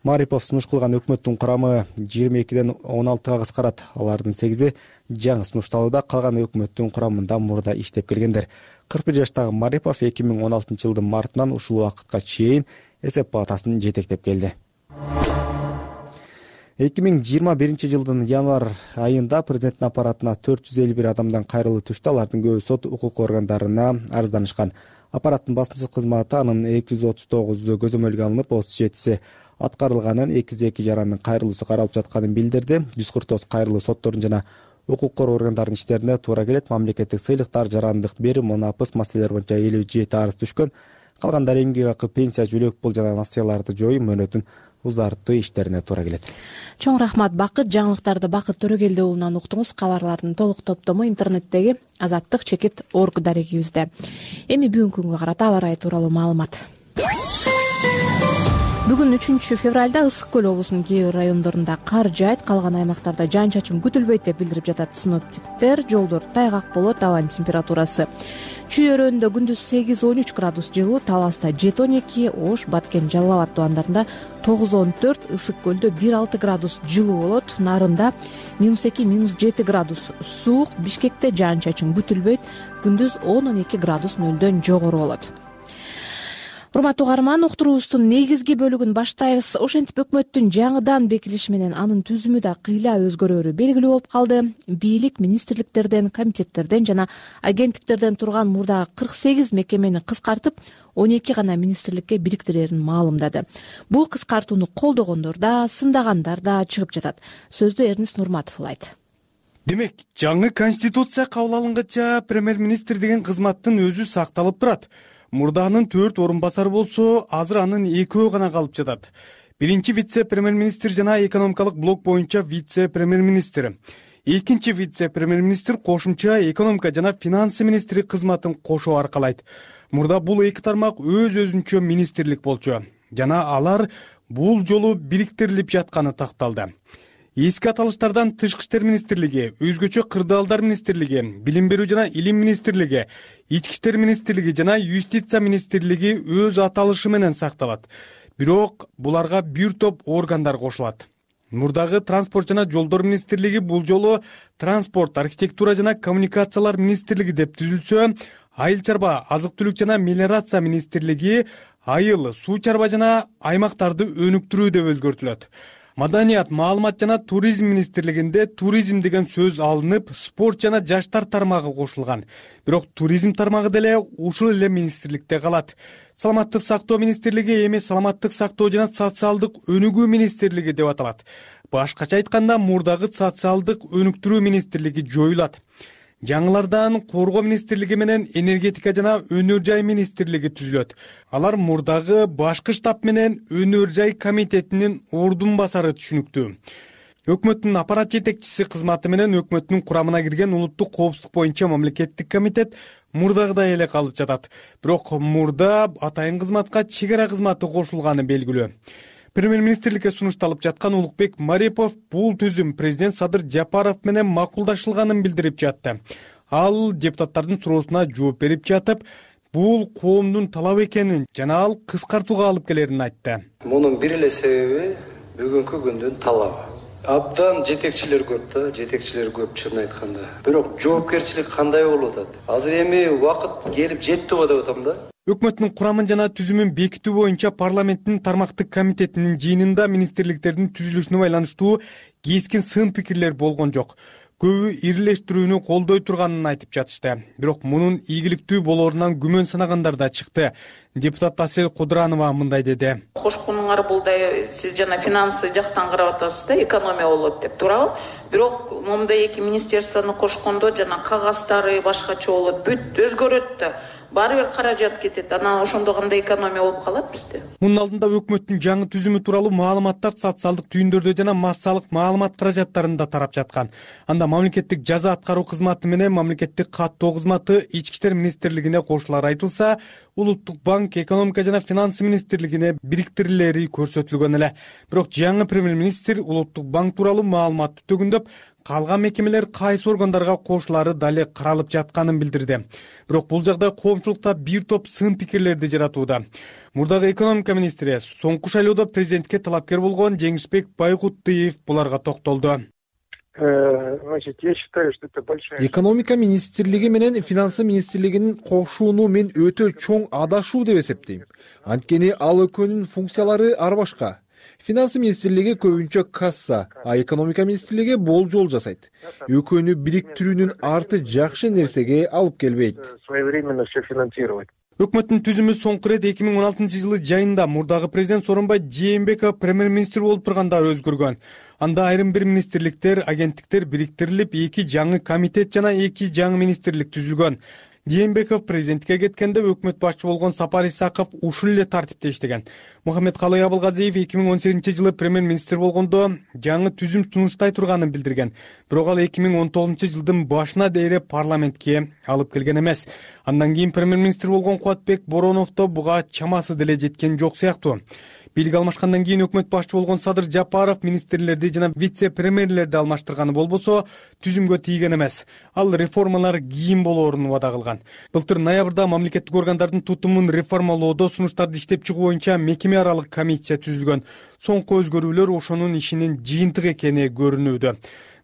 Марипов сунуш кылган өкмөттүн курамы 22ден 16га кыскарат. Алардын 8и жаңы сунушталууда, калган өкмөттүн курамында мурда иштеп келгендер. 41 жаштагы Марипов 2016-жылдын мартынан ушул убакытка чейин эсеп палатасын жетектеп келди. 2021-жылдын январь айында президенттин аппаратына 451 адамдан кайрылуу түштү. Алардын көбү сот укук органдарына арызданышкан. Аппараттын басмачылык кызматы анын 239 көзөмөлгө алынып, 37си аткарылганын, 202 жарандын кайрылуусу каралып жатканын билдирди. 149 кайрылуу соттордун жана укук коргоо органдарынын иштерине туура келет. Мамлекеттик сыйлыктар, жарандык берим, мунапыс маселелери боюнча 57 арыз түшкөн. Калгандары эмгек акы, пенсия, жөлөк пул жана насыяларды жоюу, мөөнөтүн узартуу иштерине туура келет. Чоң рахмат Бакыт. Жаңылыктарды Бакыт Төрөгелди уулунан уктуңуз. Кабарлардын толук топтому интернеттеги Азаттык чекит орг дарегибизде. Эми бүгүнкү күнгө карата аба ырайы тууралуу маалымат. Бүгүн 3-февралда Ысык көл облусунун кээ бир райондорунда кар жаайт, калган аймактарда жаан-чачын күтүлбөйт деп билдирип жатат синоптиктер. Жолдор тайгак болот, абанын температурасы Чүй өрөөнүндө күндүз 8-13 градус жылуу, Таласта 7-12, Ош, Баткен, Жалал Абад тубандарында 9-14, Ысык көлдө 1-6 градус жылуу болот. Нарында -2, -7 градус суук, Бишкекте жаан-чачын күтүлбөйт, күндүз 10-12 градус нөлдөн жогору болот. Урматтуу угарман, уктуруубуздун негизги бөлүгүн баштайбыз. Ошентип өкмөттүн жаңыдан бекилиши менен анын түзүмү да кыйла өзгөрөөрү белгилүү болуп калды. Бийлик министрликтерден, комитеттерден жана агенттиктерден турган мурдагы 48 мекемени кыскартып, 12 гана министрликке бириктирерин маалымдады. Бул кыскартууну колдогондор да, сындагандар да чыгып жатат. Сөздү Эрнис Нурматов улайт. Демек, жаңы конституция кабыл алынгача премьер-министр деген кызматтын өзү сакталып турат. Мурдагынын 4 орун басары болсо, азыр анын 2 гана калып жатат. Биринчи вице-премьер-министр жана экономикалык блок боюнча вице-премьер-министр. Экинчи вице-премьер-министр кошумча экономика жана финансы министри кызматын кошуу аркалайт. Мурда бул эки тармак өз-өзүнчө министрлик болчу. Жана алар бул жолу бириктирилип жатканы такталды. Эски аталыштардан Тышкы иштер министрлиги, өзгөчө кырдаалдар министрлиги, билим берүү жана илим министрлиги, ички иштер министрлиги жана юстиция министрлиги өз аталышы менен сакталат. Бирок буларга бир топ органдар кошулат. Мурдагы транспорт жана жолдор министрлиги бул жолу транспорт, архитектура жана коммуникациялар министрлиги деп түзүлсө, айыл чарба, азык-түлүк жана мелиорация министрлиги айыл, суу чарба жана аймактарды өнүктүрүү деп өзгөртүлөт. Маданият, маалымат жана туризм министрлигинде туризм деген сөз алынып, спорт жана жаштар тармагы кошулган. Бирок туризм тармагы деле ушул эле министрликте калат. Саламаттык сактоо министрлиги эми саламаттык сактоо жана социалдык өнүгүү министрлиги деп аталат. Башкача айтканда, мурдагы социалдык өнүктүрүү министрлиги жоюлат. Жаңылардан коргоо министрлиги менен энергетика жана өнөр жай министрлиги түзүлөт. Алар мурдагы башкы штаб менен өнөр жай комитетинин ордун басары түшүнүктүү. Өкмөттүн аппарат жетекчиси кызматы менен өкмөттүн курамына кирген улуттук коопсуздук боюнча мамлекеттик комитет мурдагыдай эле калып жатат. Бирок мурда атайын кызматка чек ара кызматы кошулганы белгилүү. Премьер-министрликке сунушталып жаткан Улукбек Марипов бул түзүм президент Садыр Жапаров менен макулдашылганын билдирип жатты. Ал депутаттардын суроосуна жооп берип жатып, бул коомдун талабы экенин жана ал кыскартууга алып келерин айтты. Мунун бир эле себеби бүгүнкү күндүн талабы. Абдан жетекчилер көп чынын айтканда. Бирок жоопкерчилик кандай болуп атат? Азыр эми убакыт келип жетти го деп атам да. Өкмөттүн курамын жана түзүмүн бекитүү боюнча парламенттин тармактык комитетинин жыйынында министрликтердин түзүлүшүнө байланыштуу кескин сын пикирлер болгон жок. Көбү ирилештирүүнү колдой турганын айтып жатышты. Бирок мунун ийгиликтүү болоорунан күмөн санагандар да чыкты. Депутат Асель Кудранова мындай деди. Кошконуңар булдай сиз жана финансы жактан карап атасыз да, экономия болот деп, туурабы? Бирок момундай эки министерствону кошкондо жана кагазтары башкача болот, бүт өзгөрөт да. Баары бир каражат кетет. Анан ошондо кандай экономия болуп калат бизде? Мунун алдында өкмөттүн жаңы түзүмү тууралуу маалыматтар социалдык түйүндөрдө жана массалык маалымат каражаттарында тарап жаткан. Анда мамлекеттик жаза аткаруу кызматы менен мамлекеттик каттоо кызматы Ички иштер министрлигине кошулары айтылса, Улуттук банк, экономика жана финансы министрлигине бириктирилери көрсөтүлгөн эле. Бирок жаңы премьер-министр Улуттук банк тууралуу маалыматты төгүндөп, калган мекемелер кайсы органдарга кошулары дале каралып жатканын билдирди. Бирок бул жагдай коомчулукта бир топ сын пикирлерди жаратууда. Мурдагы экономика министри соңку шайлоодо президентке талапкер болгон Жеңишбек Байгутуев буларга токтолду. Значит, я считаю, что это большая... Экономика министрлиги менен финансы министрлигинин кошууну мен өтө чоң адашуу деп эсептейм. Анткени ал экөөнүн функциялары ар башка. Финансы министрлиги көбүнчө касса, а экономика министрлиги болжол жасайт. Экөөнү бириктирүүнүн арты жакшы нерсеге алып келбейт. Своевременно все финансировать. Өкмөттүн түзүмү соңку ирет 2016-жылы жайында мурдагы президент Сооронбай Жээнбеков премьер-министр болуп турганда өзгөргөн. Анда айрым бир министрликтер, агенттиктер бириктирилип, 2 жаңы комитет жана 2 жаңы министрлик түзүлгөн. Жээнбеков президентке кеткенде өкмөт башчы болгон Сапар Исаков ушул эле тартипте иштеген. Мухаммедкалый Абылгазиев 2018-жылы премьер-министр болгондо жаңы түзүм сунуштай турганын билдирген. Бирок ал 2019-жылдын башына дейре парламентке алып келген эмес. Андан кийин премьер-министр болгон Кубатбек Бороновдо буга чамасы деле жеткен жок сыяктуу. Бийлик алмашкандан кийин өкмөт башчы болгон Садыр Жапаров министрлерди жана вице-премьерлерди алмаштырганы болбосо түзүмгө тийген эмес. Ал реформалар кийин болоорун убада кылган. Былтыр ноябрда мамлекеттик органдардын тутумун реформалоодо сунуштарды иштеп чыгуу боюнча мекеме аралык комиссия түзүлгөн. Соңку өзгөрүүлөр ошонун ишинин жыйынтыгы экени көрүнүүдө.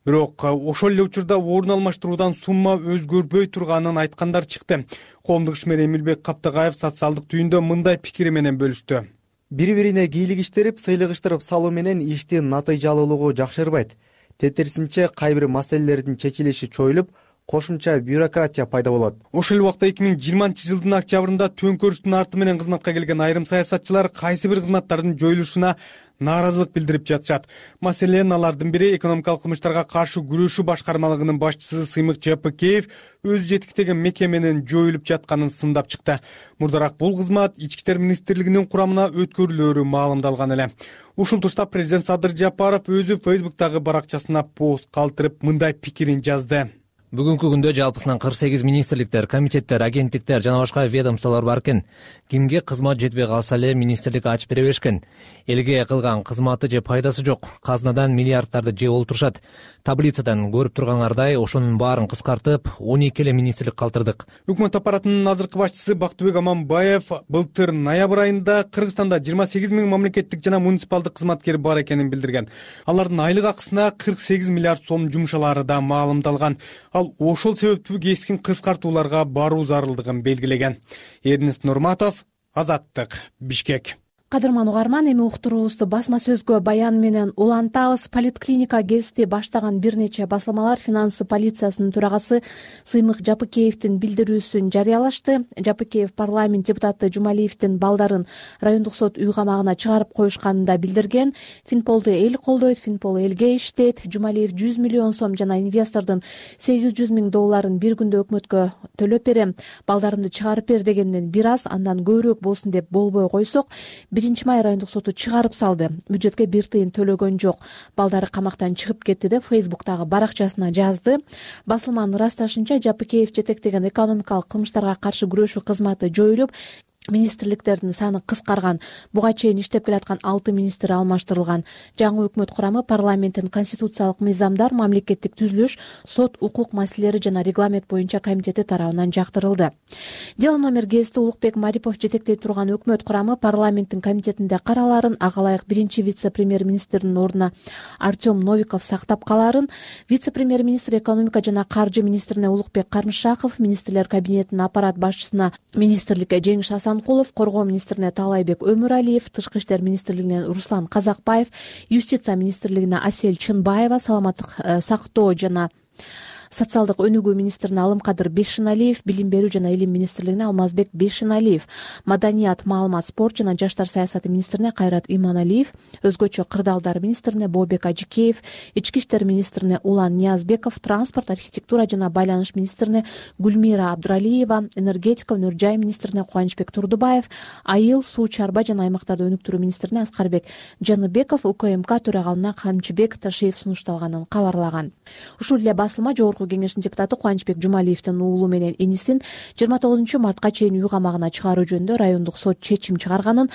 Бирок ошол эле учурда орун алмаштыруудан сумма өзгөрбөй турганын айткандар чыкты. Коомдук ишмер Эмилбек Каптыгаев социалдык түйүндө мындай пикири менен бөлүштү. Бири-бирине кийлигиштирип, сыйлыгыштырып салуу менен иштин натыйжалуулугу жакшырбайт. Тескерисинче кайбир маселелердин чечилиши чоюлуп, кошумча бюрократия пайда болот. Ошол эле убакта 2020-жылдын октябрында төңкөрүштүн арты менен кызматка келген айрым саясатчылар кайсы бир кызматтардын жоюлушуна нааразылык билдирип жатышат. Маселен, алардын бири экономикалык кылмыштарга каршы күрөшүү башкармалыгынын башчысы Сыймык Жапыкеев өзү жетектеген мекеменин жоюлуп жатканын сындап чыкты. Мурдараак бул кызмат Ички иштер министрлигинин курамына өткөрүлөөрү маалымдалган эле. Ушул тушта президент Садыр Жапаров өзү Facebook'тагы баракчасына пост калтырып мындай пикирин жазды. Бүгүнкү күндө жалпысынан 48 министрликтер, комитеттер, агенттиктер жана башка ведомстволор бар экен. Кимге кызмат жетпей калса эле министрлик ачып бере беришкен. Элге кылган кызматы же пайдасы жок. Казнадан миллиарддарды жеп олтурушат. Таблицадан көрүп тургаңардай, ошонун баарын кыскартып, 12 эле министрлик калтырдык. Өкмөт аппаратынын азыркы башчысы Бактыбек Аманбаев былтыр ноябрь айында Кыргызстанда 28 000 мамлекеттик жана муниципалдык кызматкер бар экенин билдирген. Алардын айлык акысына 48 миллиард сом жумшалары да маалымдалган. Ал ошол себептүү кескин кыскартууларга баруу зарылдыгын белгилеген. Эрнест Нурматов, Азаттык, Бишкек. Кадырман угарман, эми уктуруубузду басма сөзгө баян менен улантабыз. Политклиника гезити баштаган бир нече басылмалар финансы полициясынын төрагасы Сыймык Жапыкеевдин билдирүүсүн жарыялашты. Жапыкеев парламент депутаты Жумалиевдин балдарын райондук сот үй камагына чыгарып коюшканын да билдирген. Финполду эл колдойт, Финпол элге иштейт. Жумалиев 100 миллион сом жана инвестордун $800,000 бир күндө өкмөткө төлөп берем, балдарымды чыгарып бер дегенден бир аз, андан көбүрөөк болсун деп болбой койсок, 1-май райондук соту чыгарып салды. Бюджетке бир тыйын төлөгөн жок. Балдары камактан чыгып кетти деп Facebook'тагы баракчасына жазды. Басылманын ырасташынча, Жапыкеев жетектеген экономикалык кылмыштарга каршы күрөшүү кызматы жоюлуп, министрликтердин саны кыскарган. Буга чейин иштеп келаткан 6 министр алмаштырылган. Жаңы өкмөт курамы парламенттин конституциялык мыйзамдар, мамлекеттик түзүлүш, сот, укук маселелери жана регламент боюнча комитети тарабынан жактырылды. Дело номер гезити Улукбек Марипов жетектей турган өкмөт курамы парламенттин комитетинде караларын, ага ылайык биринчи вице-премьер-министрдин ордуна Артем Новиков сактап каларын, вице-премьер-министр экономика жана каржы министрине Улукбек Кармышаков, министрлер кабинетинин аппарат башчысына министрликке Жеңиш Асанкулов, коргоо министрине Таалайбек Өмүралиев, тышкы иштер министрлигине Руслан Казакбаев, юстиция министрлигине Асель Чынбаева, саламаттык сактоо жана социалдык өнүгүү министрине Алымкадыр Бешиналиев, билим берүү жана илим министрлигине Алмазбек Бешиналиев, маданият, маалымат, спорт жана жаштар саясаты министрине Кайрат Иманалиев, өзгөчө кырдаалдар министрине Бообек Ажикеев, ички иштер министрине Улан Ниязбеков, транспорт, архитектура жана байланыш министрине Гүлмира Абдуралиева, энергетика, өнөр жай министрине Кубанычбек Турдубаев, айыл, суу, чарба жана аймактарды өнүктүрүү министрине Аскарбек Жаныбеков, УКМК төрагалына Камчыбек Ташиев сунушталганын кабарлаган. Ушул эле басылма Жогорку кеңештин депутаты Кубанычбек Жумалиевдин уулу менен инисин 29 мартка чейин үй камагына чыгаруу жөнүндө райондук сот чечим чыгарганын,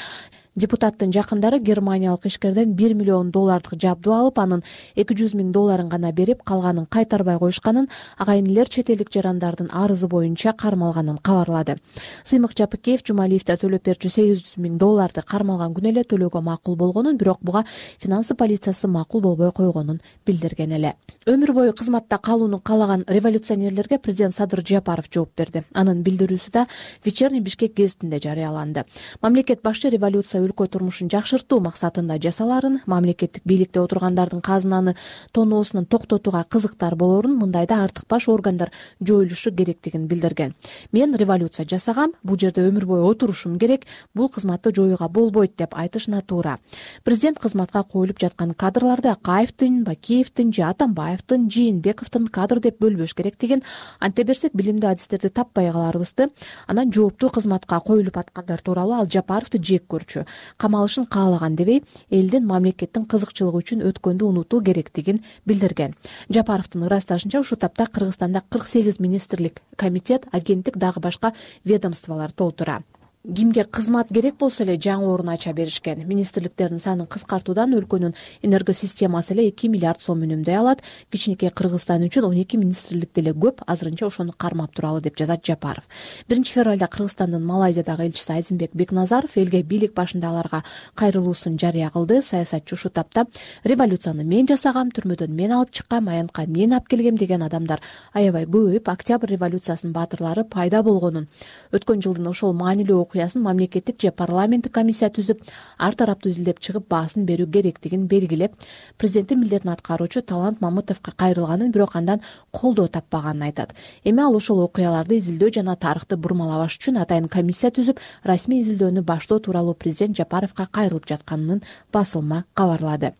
депутаттын жакындары германиялык ишкерден $1 миллион жабдуу алып, анын $200 000 гана берип, калганын кайтарбай коюшканын, агайынелер чет элдик жарандардын арызы боюнча кармалганын кабарлады. Сыймык Жапыкеев Жумалиевдер төлөп берчү $800 000 кармалган күнү эле төлөөгө макул болгонун, бирок буга финансы полициясы макул болбой койгонун билдирген эле. Өмүр бою кызматта калууну каалаган революционерлерге президент Садыр Жапаров жооп берди. Анын билдирүүсү да Вечерний Бишкек гезитинде жарыяланды. Мамлекет башчы революция өлкө турмушун жакшыртуу максатында жасаларын, мамлекеттик бийликте отургандардын казынаны тоноосунун токтотууга кызыктар болорун, мындайда артыкбаш органдар жоюлушу керектигин билдирген. Мен революция жасагам, бул жерде өмүр бою отурушум керек, бул кызматты жоюуга болбойт деп айтыш натуура. Президент кызматка коюлуп жаткан кадрларды Акаевдин, Бакиевдин же Атамбаевдин, Жээнбековдун кадр деп бөлбөш керектигин, анте берсек билимдүү адистерди таппай каларыбызды. Анан жооптуу кызматка коюлуп аткандар тууралуу ал Жапаровду жек көрчү, камалышын каалаган дебей, элдин мамлекеттин кызыкчылыгы үчүн өткөндү унутуу керектигин билдирген. Жапаровдун ырасташынча ушул тапта Кыргызстанда 48 министрлик, комитет, агенттик, дагы башка ведомстволор толтура. Кимге кызмат керек болсо эле жаңы орун ача беришкен. Министрликтердин санын кыскартуудан өлкөнүн энергосистемасы эле 2 миллиард сом үнөмдөй алат. Кичинекей Кыргызстан үчүн 12 министрлик деле көп, азырынча ошону кармап туралы деп жазат Жапаров. 1 февралда Кыргызстандын Малайзиядагы элчиси Айзенбек Бекназаров элге бийлик башындагыларга кайрылуусун жарыя кылды. Саясатчы ушул тапта революцияны мен жасагам, түрмөдөн мен алып чыккам, аянтка мен алып келгем деген адамдар аябай көбөйүп, Октябрь революциясынын баатырлары пайда болгонун, өткөн жылдын ошол маанилүү окуясын мамлекеттик же парламенттик комиссия түзүп, ар тараптуу изилдеп чыгып баасын берүү керектигин белгилеп, президенттин милдетин аткаруучу Талант Мамытовго кайрылганын, бирок андан колдоо таппаганын айтат. Эми ал ошол окуяларды изилдөө жана тарыхты бурмалабаш үчүн атайын комиссия түзүп, расмий изилдөөнү баштоо тууралуу президент Жапаровго кайрылып жатканын басылма кабарлады.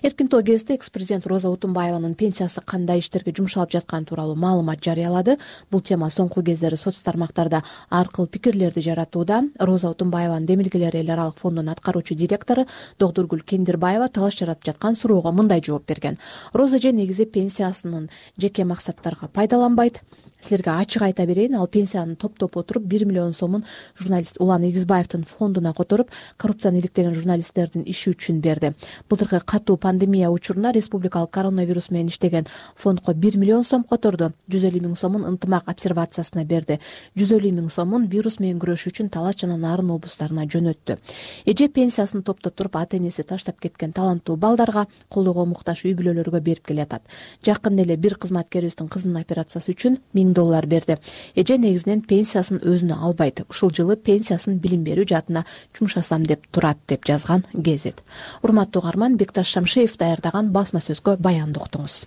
Эркин тоо гезити экс-президент Роза Утунбаеванын пенсиясы кандай иштерге жумшалып жатканы тууралуу маалымат жарыялады. Бул тема соңку кездери соц тармактарда ар кыл пикирлерди жаратууда. Роза Утунбаеванын Демилгелер эл аралык фондунун аткаруучу директору Доктургүл Кендирбаева талаш жаратып жаткан суроого мындай жооп берген. Роза же негизи пенсиясынын жеке максаттарга пайдаланбайт. Силерге ачык айта берейин, ал пенсияны топтоп отуруп 1 миллион сомун журналист Улан Эгизбаевдин фондуна которуп, коррупцияны иликтеген журналисттердин иши үчүн берди. Былтыркы катуу пандемия учурунда республикалык коронавирус менен иштеген фондко 1 миллион сом которду, 150 000 сомун ынтымак обсервациясына берди, 150 000 сомун вирус менен күрөшүү үчүн Талас жана Нарын облустарына жөнөттү. Эже пенсиясын топтоп туруп ата энеси таштап кеткен таланттуу балдарга, колдоого муктаж үй бүлөлөргө берип келатат. Жакында эле бир кызматкерибиздин кызынын операциясы үчүн $1000 берди. Эже негизинен пенсиясын өзүнө албайт. Ушул жылы пенсиясын билим берүү жаатына жумшасам деп турат, деп жазган гезит. Урматтуу угарман, Бекташ Шамшиев даярдаган басма сөзгө баянды уктуңуз.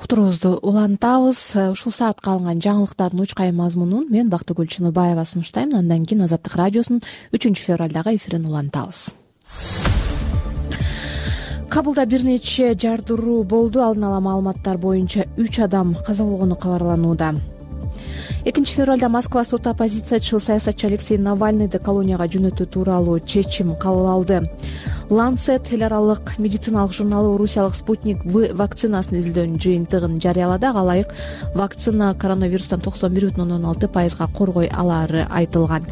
Уктуруубузду улантабыз. Ушул саатка алынган жаңылыктардын учкай мазмунун мен Бактыгүл Чыныбаева сунуштайм. Андан кийин Азаттык радиосунун 3 февралдагы эфирин улантабыз. Кабулда бир нече жардыруу болду. Алдын ала маалыматтар боюнча 3 адам каза болгону кабарланууда. 2 февралда Москва соту оппозициячыл саясатчы Алексей Навальныйды колонияга жөнөтүү тууралуу чечим кабыл алды. Lancet эл аралык медициналык журналы орусиялык Спутник В вакцинасын изилдөөнүн жыйынтыгын жарыялады. Ага ылайык вакцина коронавирустан 91,16% коргой алары айтылган.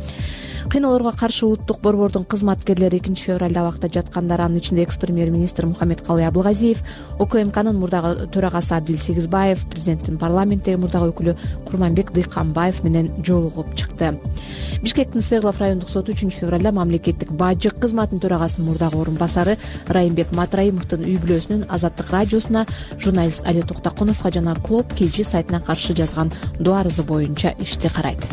Кыйноолорго каршы улуттук борбордун кызматкерлери 2 февралда абакта жаткандар, анын ичинде экс-премьер-министр Мухаммедкалый Абылгазиев, УКМКнын мурдагы төрагасы Абдил Сегизбаев, президенттин парламенттеги мурдагы өкүлү Курманбек Дыйканбаев менен жолугуп чыкты. Бишкектин Свердлов райондук соту 3 февралда мамлекеттик бажык кызматынын төрагасынын мурдагы орун басары Райымбек Матраимовдун үй бүлөсүнүн Азаттык радиосуна, журналист Али Токтокуновго жана Клоп KG сайтына каршы жазган доо арызы боюнча ишти карайт.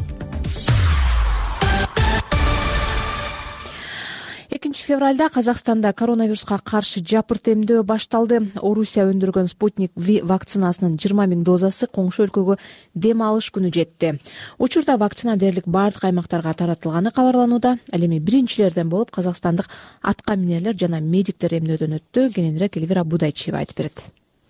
2 февралда Казакстанда коронавируска каршы жапырт эмдөө башталды. Орусия өндүргөн Спутник V вакцинасынын 20 000 дозасы коңшу өлкөгө дем алыш күнү жетти. Учурда вакцина дээрлик бардык аймактарга таратылганы кабарланууда. Ал эми биринчилерден болуп казакстандык атка минерлер жана медиктер эмдөөдөн өттү. Кененирээк Элвира Будайчиева айтып берет.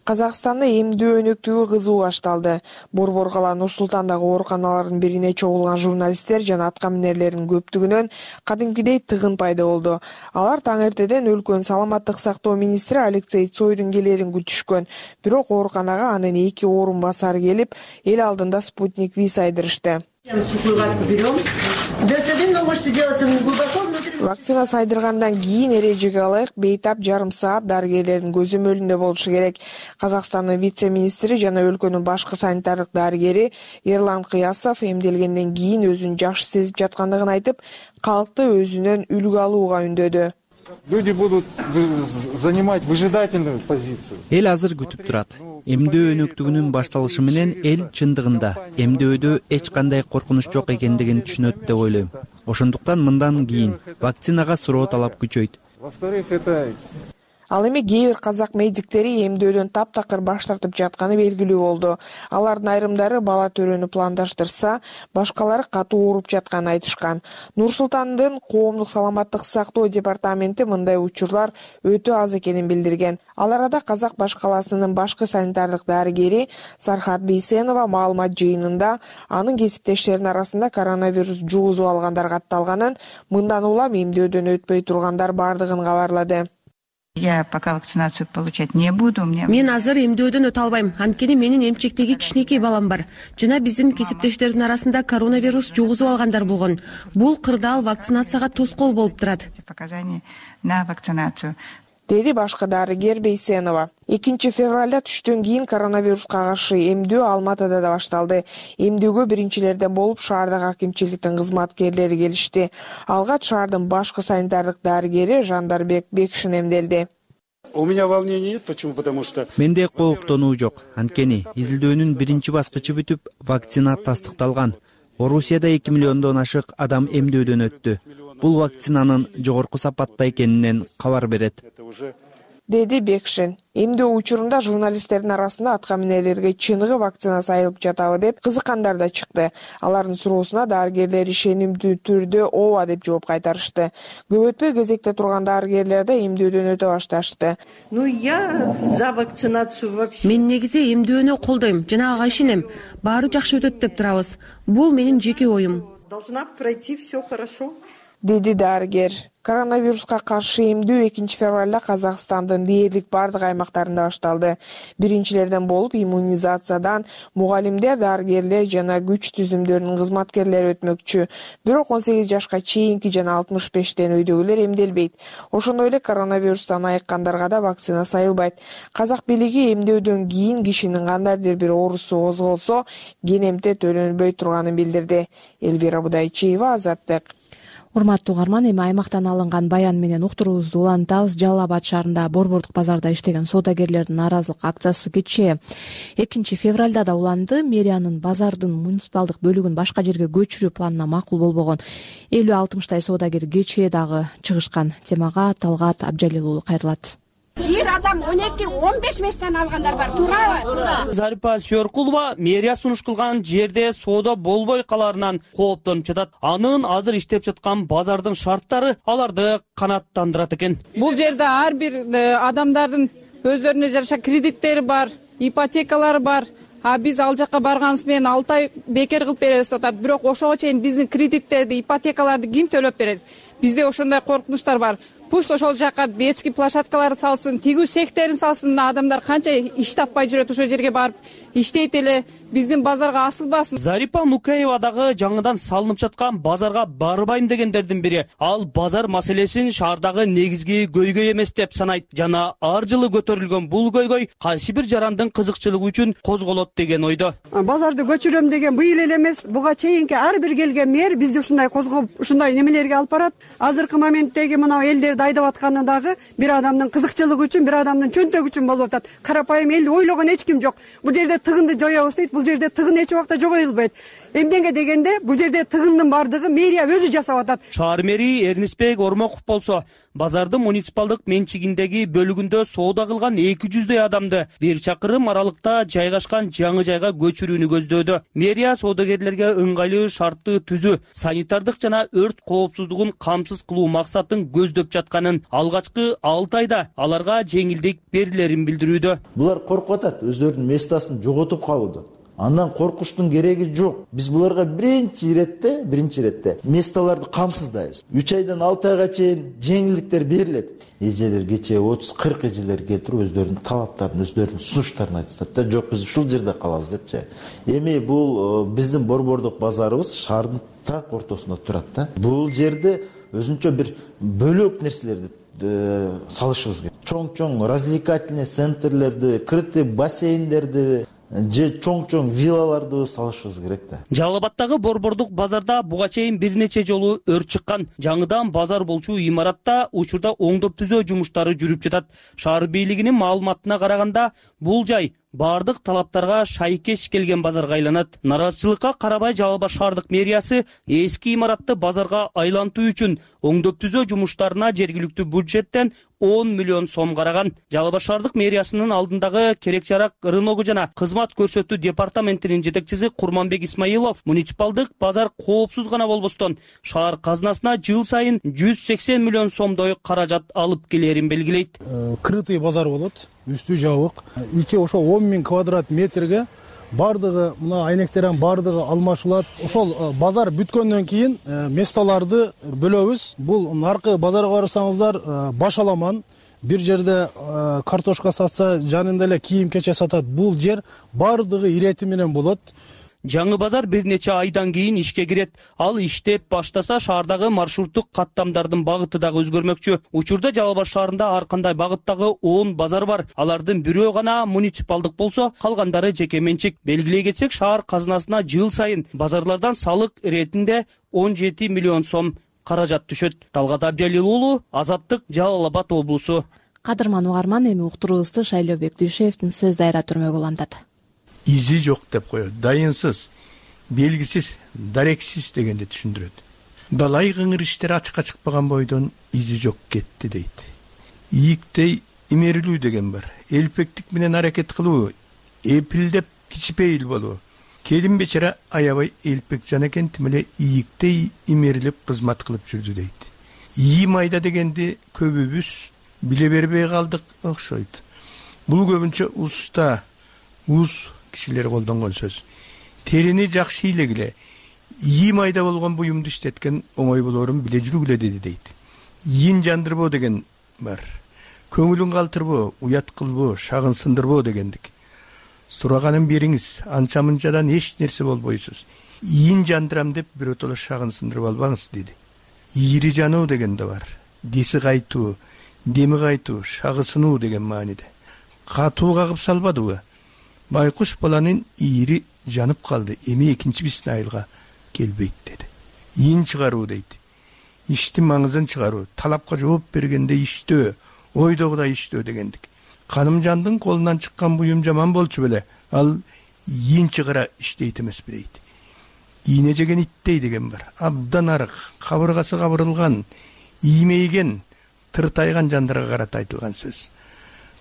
Казакстанда эмдөө өнөктүгү кызуу башталды. Борбор кала Нур Султандагы ооруканалардын бирине чогулган журналисттер жана атка минерлердин көптүгүнөн кадимкидей тыгын пайда болду. Алар таң эртеден өлкөнүн саламаттык сактоо министри Алексей Цойдун келерин күтүшкөн. Бирок ооруканага анын 2 орун басары келип, эл алдында Спутник V сайдырышты. Вакцина сайдыргандан кийин эрежеге ылайык бейтап жарым саат дарыгерлердин көзөмөлүндө болушу керек. Казакстандын вице-министри жана өлкөнүн башкы санитардык дарыгери Ерлан Кыясов эмделгенден кийин өзүн жакшы сезип жаткандыгын айтып, калкты өзүнөн үлгү алууга үндөдү. Люди будут занимать выжидательную позицию. Эл азыр күтүп турат. Эмдөө өнөктүгүнүн башталышы менен эл чындыгында эмдөөдө эч кандай коркунуч жок экендигин түшүнөт деп ойлойм. Ошондуктан мындан кийин вакцинага суроо талап күчөйт. Во-вторых, это Ал эми кээ бир казак медиктери эмдөөдөн таптакыр баш тартып жатканы белгилүү болду. Алардын айрымдары бала төрөнү пландаштырса, башкалары катуу ооруп жатканын айтышкан. Нур Султандын коомдук саламаттык сактоо департаменти мындай учурлар өтө аз экенин билдирген. Ал арада Казак баш каласынын башкы санитардык дарыгери Сархат Бейсенова маалымат жыйынында анын кесиптештеринин арасында коронавирус жугузуп алгандар катталганын, мындан улам эмдөөдөн өтпөй тургандар бардыгын кабарлады. Я пока вакцинацию получать не буду. Мен азыр эмдөөдөн өтө албайм. Анткени менин эмчектеги кичинекей балам бар. Жана биздин кесиптештердин арасында коронавирус жугузуп алгандар болгон. Бул кырдаал вакцинацияга тоскоол болуп турат. Показания на вакцинацию. Деди башкы дарыгер Бейсенова. 2 февралда түштөн кийин коронавируска каршы эмдөө Алматыда да башталды. Эмдөөгө биринчилерден болуп шаардагы акимчиликтин кызматкерлери келишти. Алгач шаардын башкы санитардык дарыгери Жандарбек Бекшин эмделди. У меня волнений нет, почему? Потому что менде кооптонуу жок. Анткени изилдөөнүн биринчи баскычы бүтүп, вакцина тастыкталган. Орусияда 2 миллиондон ашык адам эмдөөдөн өттү. Бул вакцинанын жогорку сапатта экенинен кабар берет. Деди Бекшин. Эмдөө учурунда журналисттердин арасында атка минерлерге чыныгы вакцина сайылып жатабы деп кызыккандар да чыкты. Алардын суроосуна дарыгерлер ишенимдүү түрдө ооба деп жооп кайтарышты. Көп өтпөй кезекте турган дарыгерлер да эмдөөдөн өтө башташты. Я за вакцинацию вообще. Мен негизи эмдөөнү колдойм жана ага ишенем. Баары жакшы өтөт деп турабыз. Бул менин жеке оюм. Должна пройти все хорошо. Деди дарыгер. Коронавируска каршы эмдөө 2 февралда Казакстандын дээрлик бардык аймактарында башталды. Биринчилерден болуп иммунизациядан мугалимдер, дарыгерлер жана күч түзүмдөрүнүн кызматкерлери өтмөкчү. Бирок 18 жашка чейинки жана 65тен өйдөгүлөр эмделбейт. Ошондой эле коронавирустан айыккандарга да вакцина сайылбайт. Казак бийлиги эмдөөдөн кийин кишинин кандайдыр бир оорусу козголсо, кенемте төлөнбөй турганын билдирди. Элвира Будайчиева, Азаттык. Урматтуу угарман, эми аймактан алынган баян менен уктуруубузду улантабыз. Жалал Абад шаарында борбордук базарда иштеген соодагерлердин нааразылык акциясы кечээ 2 февралда да уланды. Мэриянын базардын муниципалдык бөлүгүн башка жерге көчүрүү планына макул болбогон 50-60 соодагер кечээ дагы чыгышкан. Темага Талгат Абжалил уулу кайрылат. Бир адам 12-15 местен алгандар бар, туурабы? Зарипа Сёркулова мэрия сунуш кылган жерде соода болбой каларынан кооптонуп жатат. Анын азыр иштеп жаткан базардын шарттары аларды канааттандырат экен. Бул жерде ар бир адамдардын өздөрүнө жараша кредиттери бар, ипотекалары бар. биз ал жака барганыбыз менен 6 ай бекер кылып беребиз деп атат. Бирок ошого чейин биздин кредиттерди, ипотекаларды ким төлөп берет? Бизде ошондой коркунучтар бар. Пусть ошол жака детский площадкаларды салсын, тигүү секторун салсын. Адамдар канча иш таппай жүрөт, ошол жерге барып иштейт эле. Биздин базарга асылбасын. Зарипа Нукаева дагы жаңыдан салынып жаткан базарга барбайм дегендердин бири. Ал базар маселесин шаардагы негизги көйгөй эмес деп санайт жана ар жылы көтөрүлгөн бул көйгөй кайсы бир жарандын кызыкчылыгы үчүн козголот деген ойдо. Базарды көчүрөм деген быйыл эле эмес, буга чейинки ар бир келген мэр бизди ушундай козгоп, ушундай немелерге алып барат. Азыркы моменттеги мына элдерди айдап атканы дагы бир адамдын кызыкчылыгы үчүн, бир адамдын чөнтөгү үчүн болуп атат. Карапайым эл ойлогон эч ким жок. Бул жерде тыгынды жоябыз дейт. Бул жерде тыгын эч убакта жогоюлбайт. Эмнеге дегенде бул жерде тыгындын бардыгы мэрия өзү жасап атат. Шаар мэри Эрнисбек Ормоков болсо базардын муниципалдык менчигиндеги бөлүгүндө соода кылган 200дөй адамды бир чакырым аралыкта жайгашкан жаңы жайга көчүрүүнү көздөөдө. Мэрия соодагерлерге ыңгайлуу шартты түзүү, санитардык жана өрт коопсуздугун камсыз кылуу максатын көздөп жатканын, алгачкы 6 айда аларга жеңилдик берилерин билдирүүдө. Булар коркуп атат, өздөрүнүн местасын жоготуп калуудан. Андан коркуштун кереги жок. Биз буларга биринчи иретте месталарды камсыздайбыз. 3 айдан 6 айга чейин жеңилдиктер берилет. Эжелер кече 30-40 эжелер келтирип өздөрүнүн талаптарын, өздөрүнүн сунуштарын айтышат да, жок биз ушул жерде калабыз депчи. Эми бул биздин борбордук базарыбыз шаардын так ортосунда турат да. Бул жерде өзүнчө бир бөлөк нерселерди салышыбыз керек. Чоң-чоң развлекательный центрлерди, крытый бассейндерди же чоң виллаларды салышыбыз керек да. Жалал Абадтагы борбордук базарда буга чейин бир нече жолу өрт чыккан. Жаңыдан базар болчу имаратта учурда оңдоп түзөө жумуштары жүрүп жатат. Шаар бийлигинин маалыматына караганда бул жай бардык талаптарга шайкеш келген базарга айланат. Нараазычылыкка карабай Жалал Абад шаардык мэриясы эски имаратты базарга айлантуу үчүн оңдоп түзөө жумуштарына жергиликтүү бюджеттен 10 миллион сом караган. Жалал Абад шаардык мэриясынын алдындагы керек жарак рыногу жана кызмат көрсөтүү департаментинин жетекчиси Курманбек Исмаилов муниципалдык базар коопсуз гана болбостон шаар казынасына жыл сайын 180 миллион сомдой каражат алып келерин белгилейт. Крытый базар болот, үстү жабык. Ичи ошо 10 000 квадрат метрге бардыгы мына айнектердин бардыгы алмашылат. Ошол базар бүткөндөн кийин месталарды бөлөбүз. Бул наркы базарга барсаңыздар Башаламан бир жерде картошка сатса, жанында эле кийим кече сатат. Бул жер бардыгы ирети менен болот. Жаңы базар бир нече айдан кийин ишке кирет. Ал иштеп баштаса шаардагы маршруттук каттамдардын багыты дагы өзгөрмөкчү. Учурда Жалал Абад шаарында ар кандай багыттагы 10 базар бар. Алардын бирөө гана муниципалдык болсо, калгандары жеке менчик. Белгилей кетсек, шаар казынасына жыл сайын базарлардан салык иретинде 17 миллион сом каражат түшөт. Талгат Абдиалил уулу, Азаттык, Жалал Абад облусу. Кадырман угарман, эми уктуруубузду Шайлообек Дүйшеевдин сөз дайра түрмөгү улантат. Изи жок деп коет, дайынсыз, белгисиз, дарексиз дегенди түшүндүрөт. Далай кыңыр иштер ачыкка чыкпаган бойдон изи жок кетти дейт. Ийиктей имерилүү деген бар. Элпектик менен аракет кылуу, эпилдеп кичипейил болуу. Келин бечара аябай элпек жан экен, тим эле ийиктей имерилип кызмат кылып жүрдү дейт. Ийи майда дегенди көбүбүз биле бербей калдык окшойт. Бул көбүнчө уста, кишилер колдонгон сөз. Терини жакшы ийлегиле, ийи майда болгон буюмду иштеткен оңой болорун биле жүргүлө деди дейт. Ийин жандырбоо деген бар. Көңүлүн калтырбоо, уят кылбоо, шагын сындырбоо дегендик. Сураганын бериңиз, анча-мынчадан эч нерсе болбойсуз. Ийин жандырам деп биротоло шагын сындырып албаңыз деди. Ийри жануу деген да бар. Диси кайтуу, деми кайтуу, шагы сынуу деген мааниде. Катуу кагып салбадыбы? Байкуш баланын ийри жанып калды, эми экинчи биздин айылга келбейт деди. Ийин чыгаруу дейт. Иштин маңызын чыгаруу, талапка жооп бергенде иштөө, ойдогудай иштөө дегендик. Канымжандын колунан чыккан буюм жаман болчу беле, ал ийин чыгара иштейт эмеспи дейт. Ийне жеген иттей деген бар. Абдан арык, кабыргасы кабырылган, иймейген, тыртайган жандарга карата айтылган сөз.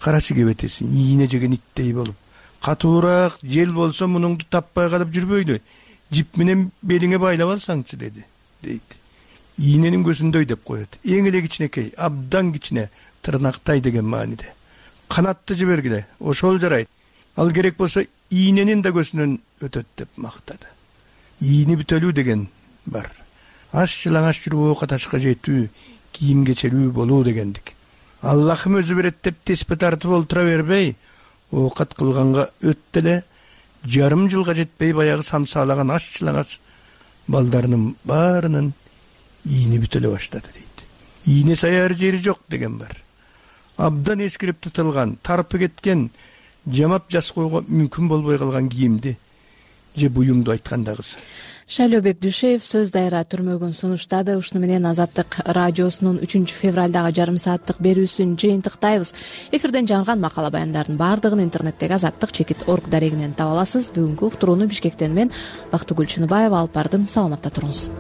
Карачы кебетесин, ийне жеген иттей болуп, катуураак жел болсо мунуңду таппай калып жүрбөйлү. Жип менен белиңе байлап алсаңчы деди, дейт. Ийненин көзүндөй деп коет. Эң эле кичинекей, абдан кичине, тырнактай деген мааниде. Канатты жибергиле, ошол жарайт. Ал керек болсо ийненин да көзүнөн өтөт деп мактады. Ийни бүтөлүү деген бар. Аш жылаңаш жүрүп оокат ашка жетүү, кийим кечелүү болуу дегендик. Аллахым өзү берет деп теспе тартып олтура бербей, оокат кылганга өттү эле жарым жылга жетпей баягы самсаалаган аш жылаңаш балдарынын баарынын ийни бүтөлө баштады дейт. Ийне саяр жери жок деген бар. Абдан эскирип тытылган, тарпы кеткен, жамап жас койго мүмкүн болбой калган кийимди же буюмду айткандагысы. Шайлообек Дүйшеев сөз дайра түрмөгүн сунуштады. Ушуну менен Азаттык радиосунун 3 февралдагы жарым сааттык берүүсүн жыйынтыктайбыз. Эфирден жаңырган макала баяндардын баардыгын интернеттеги azattik.org дарегинен таба аласыз. Бүгүнкү уктурууну Бишкектен мен Бактыгүл Чыныбаева алып бардым. Саламатта туруңуз.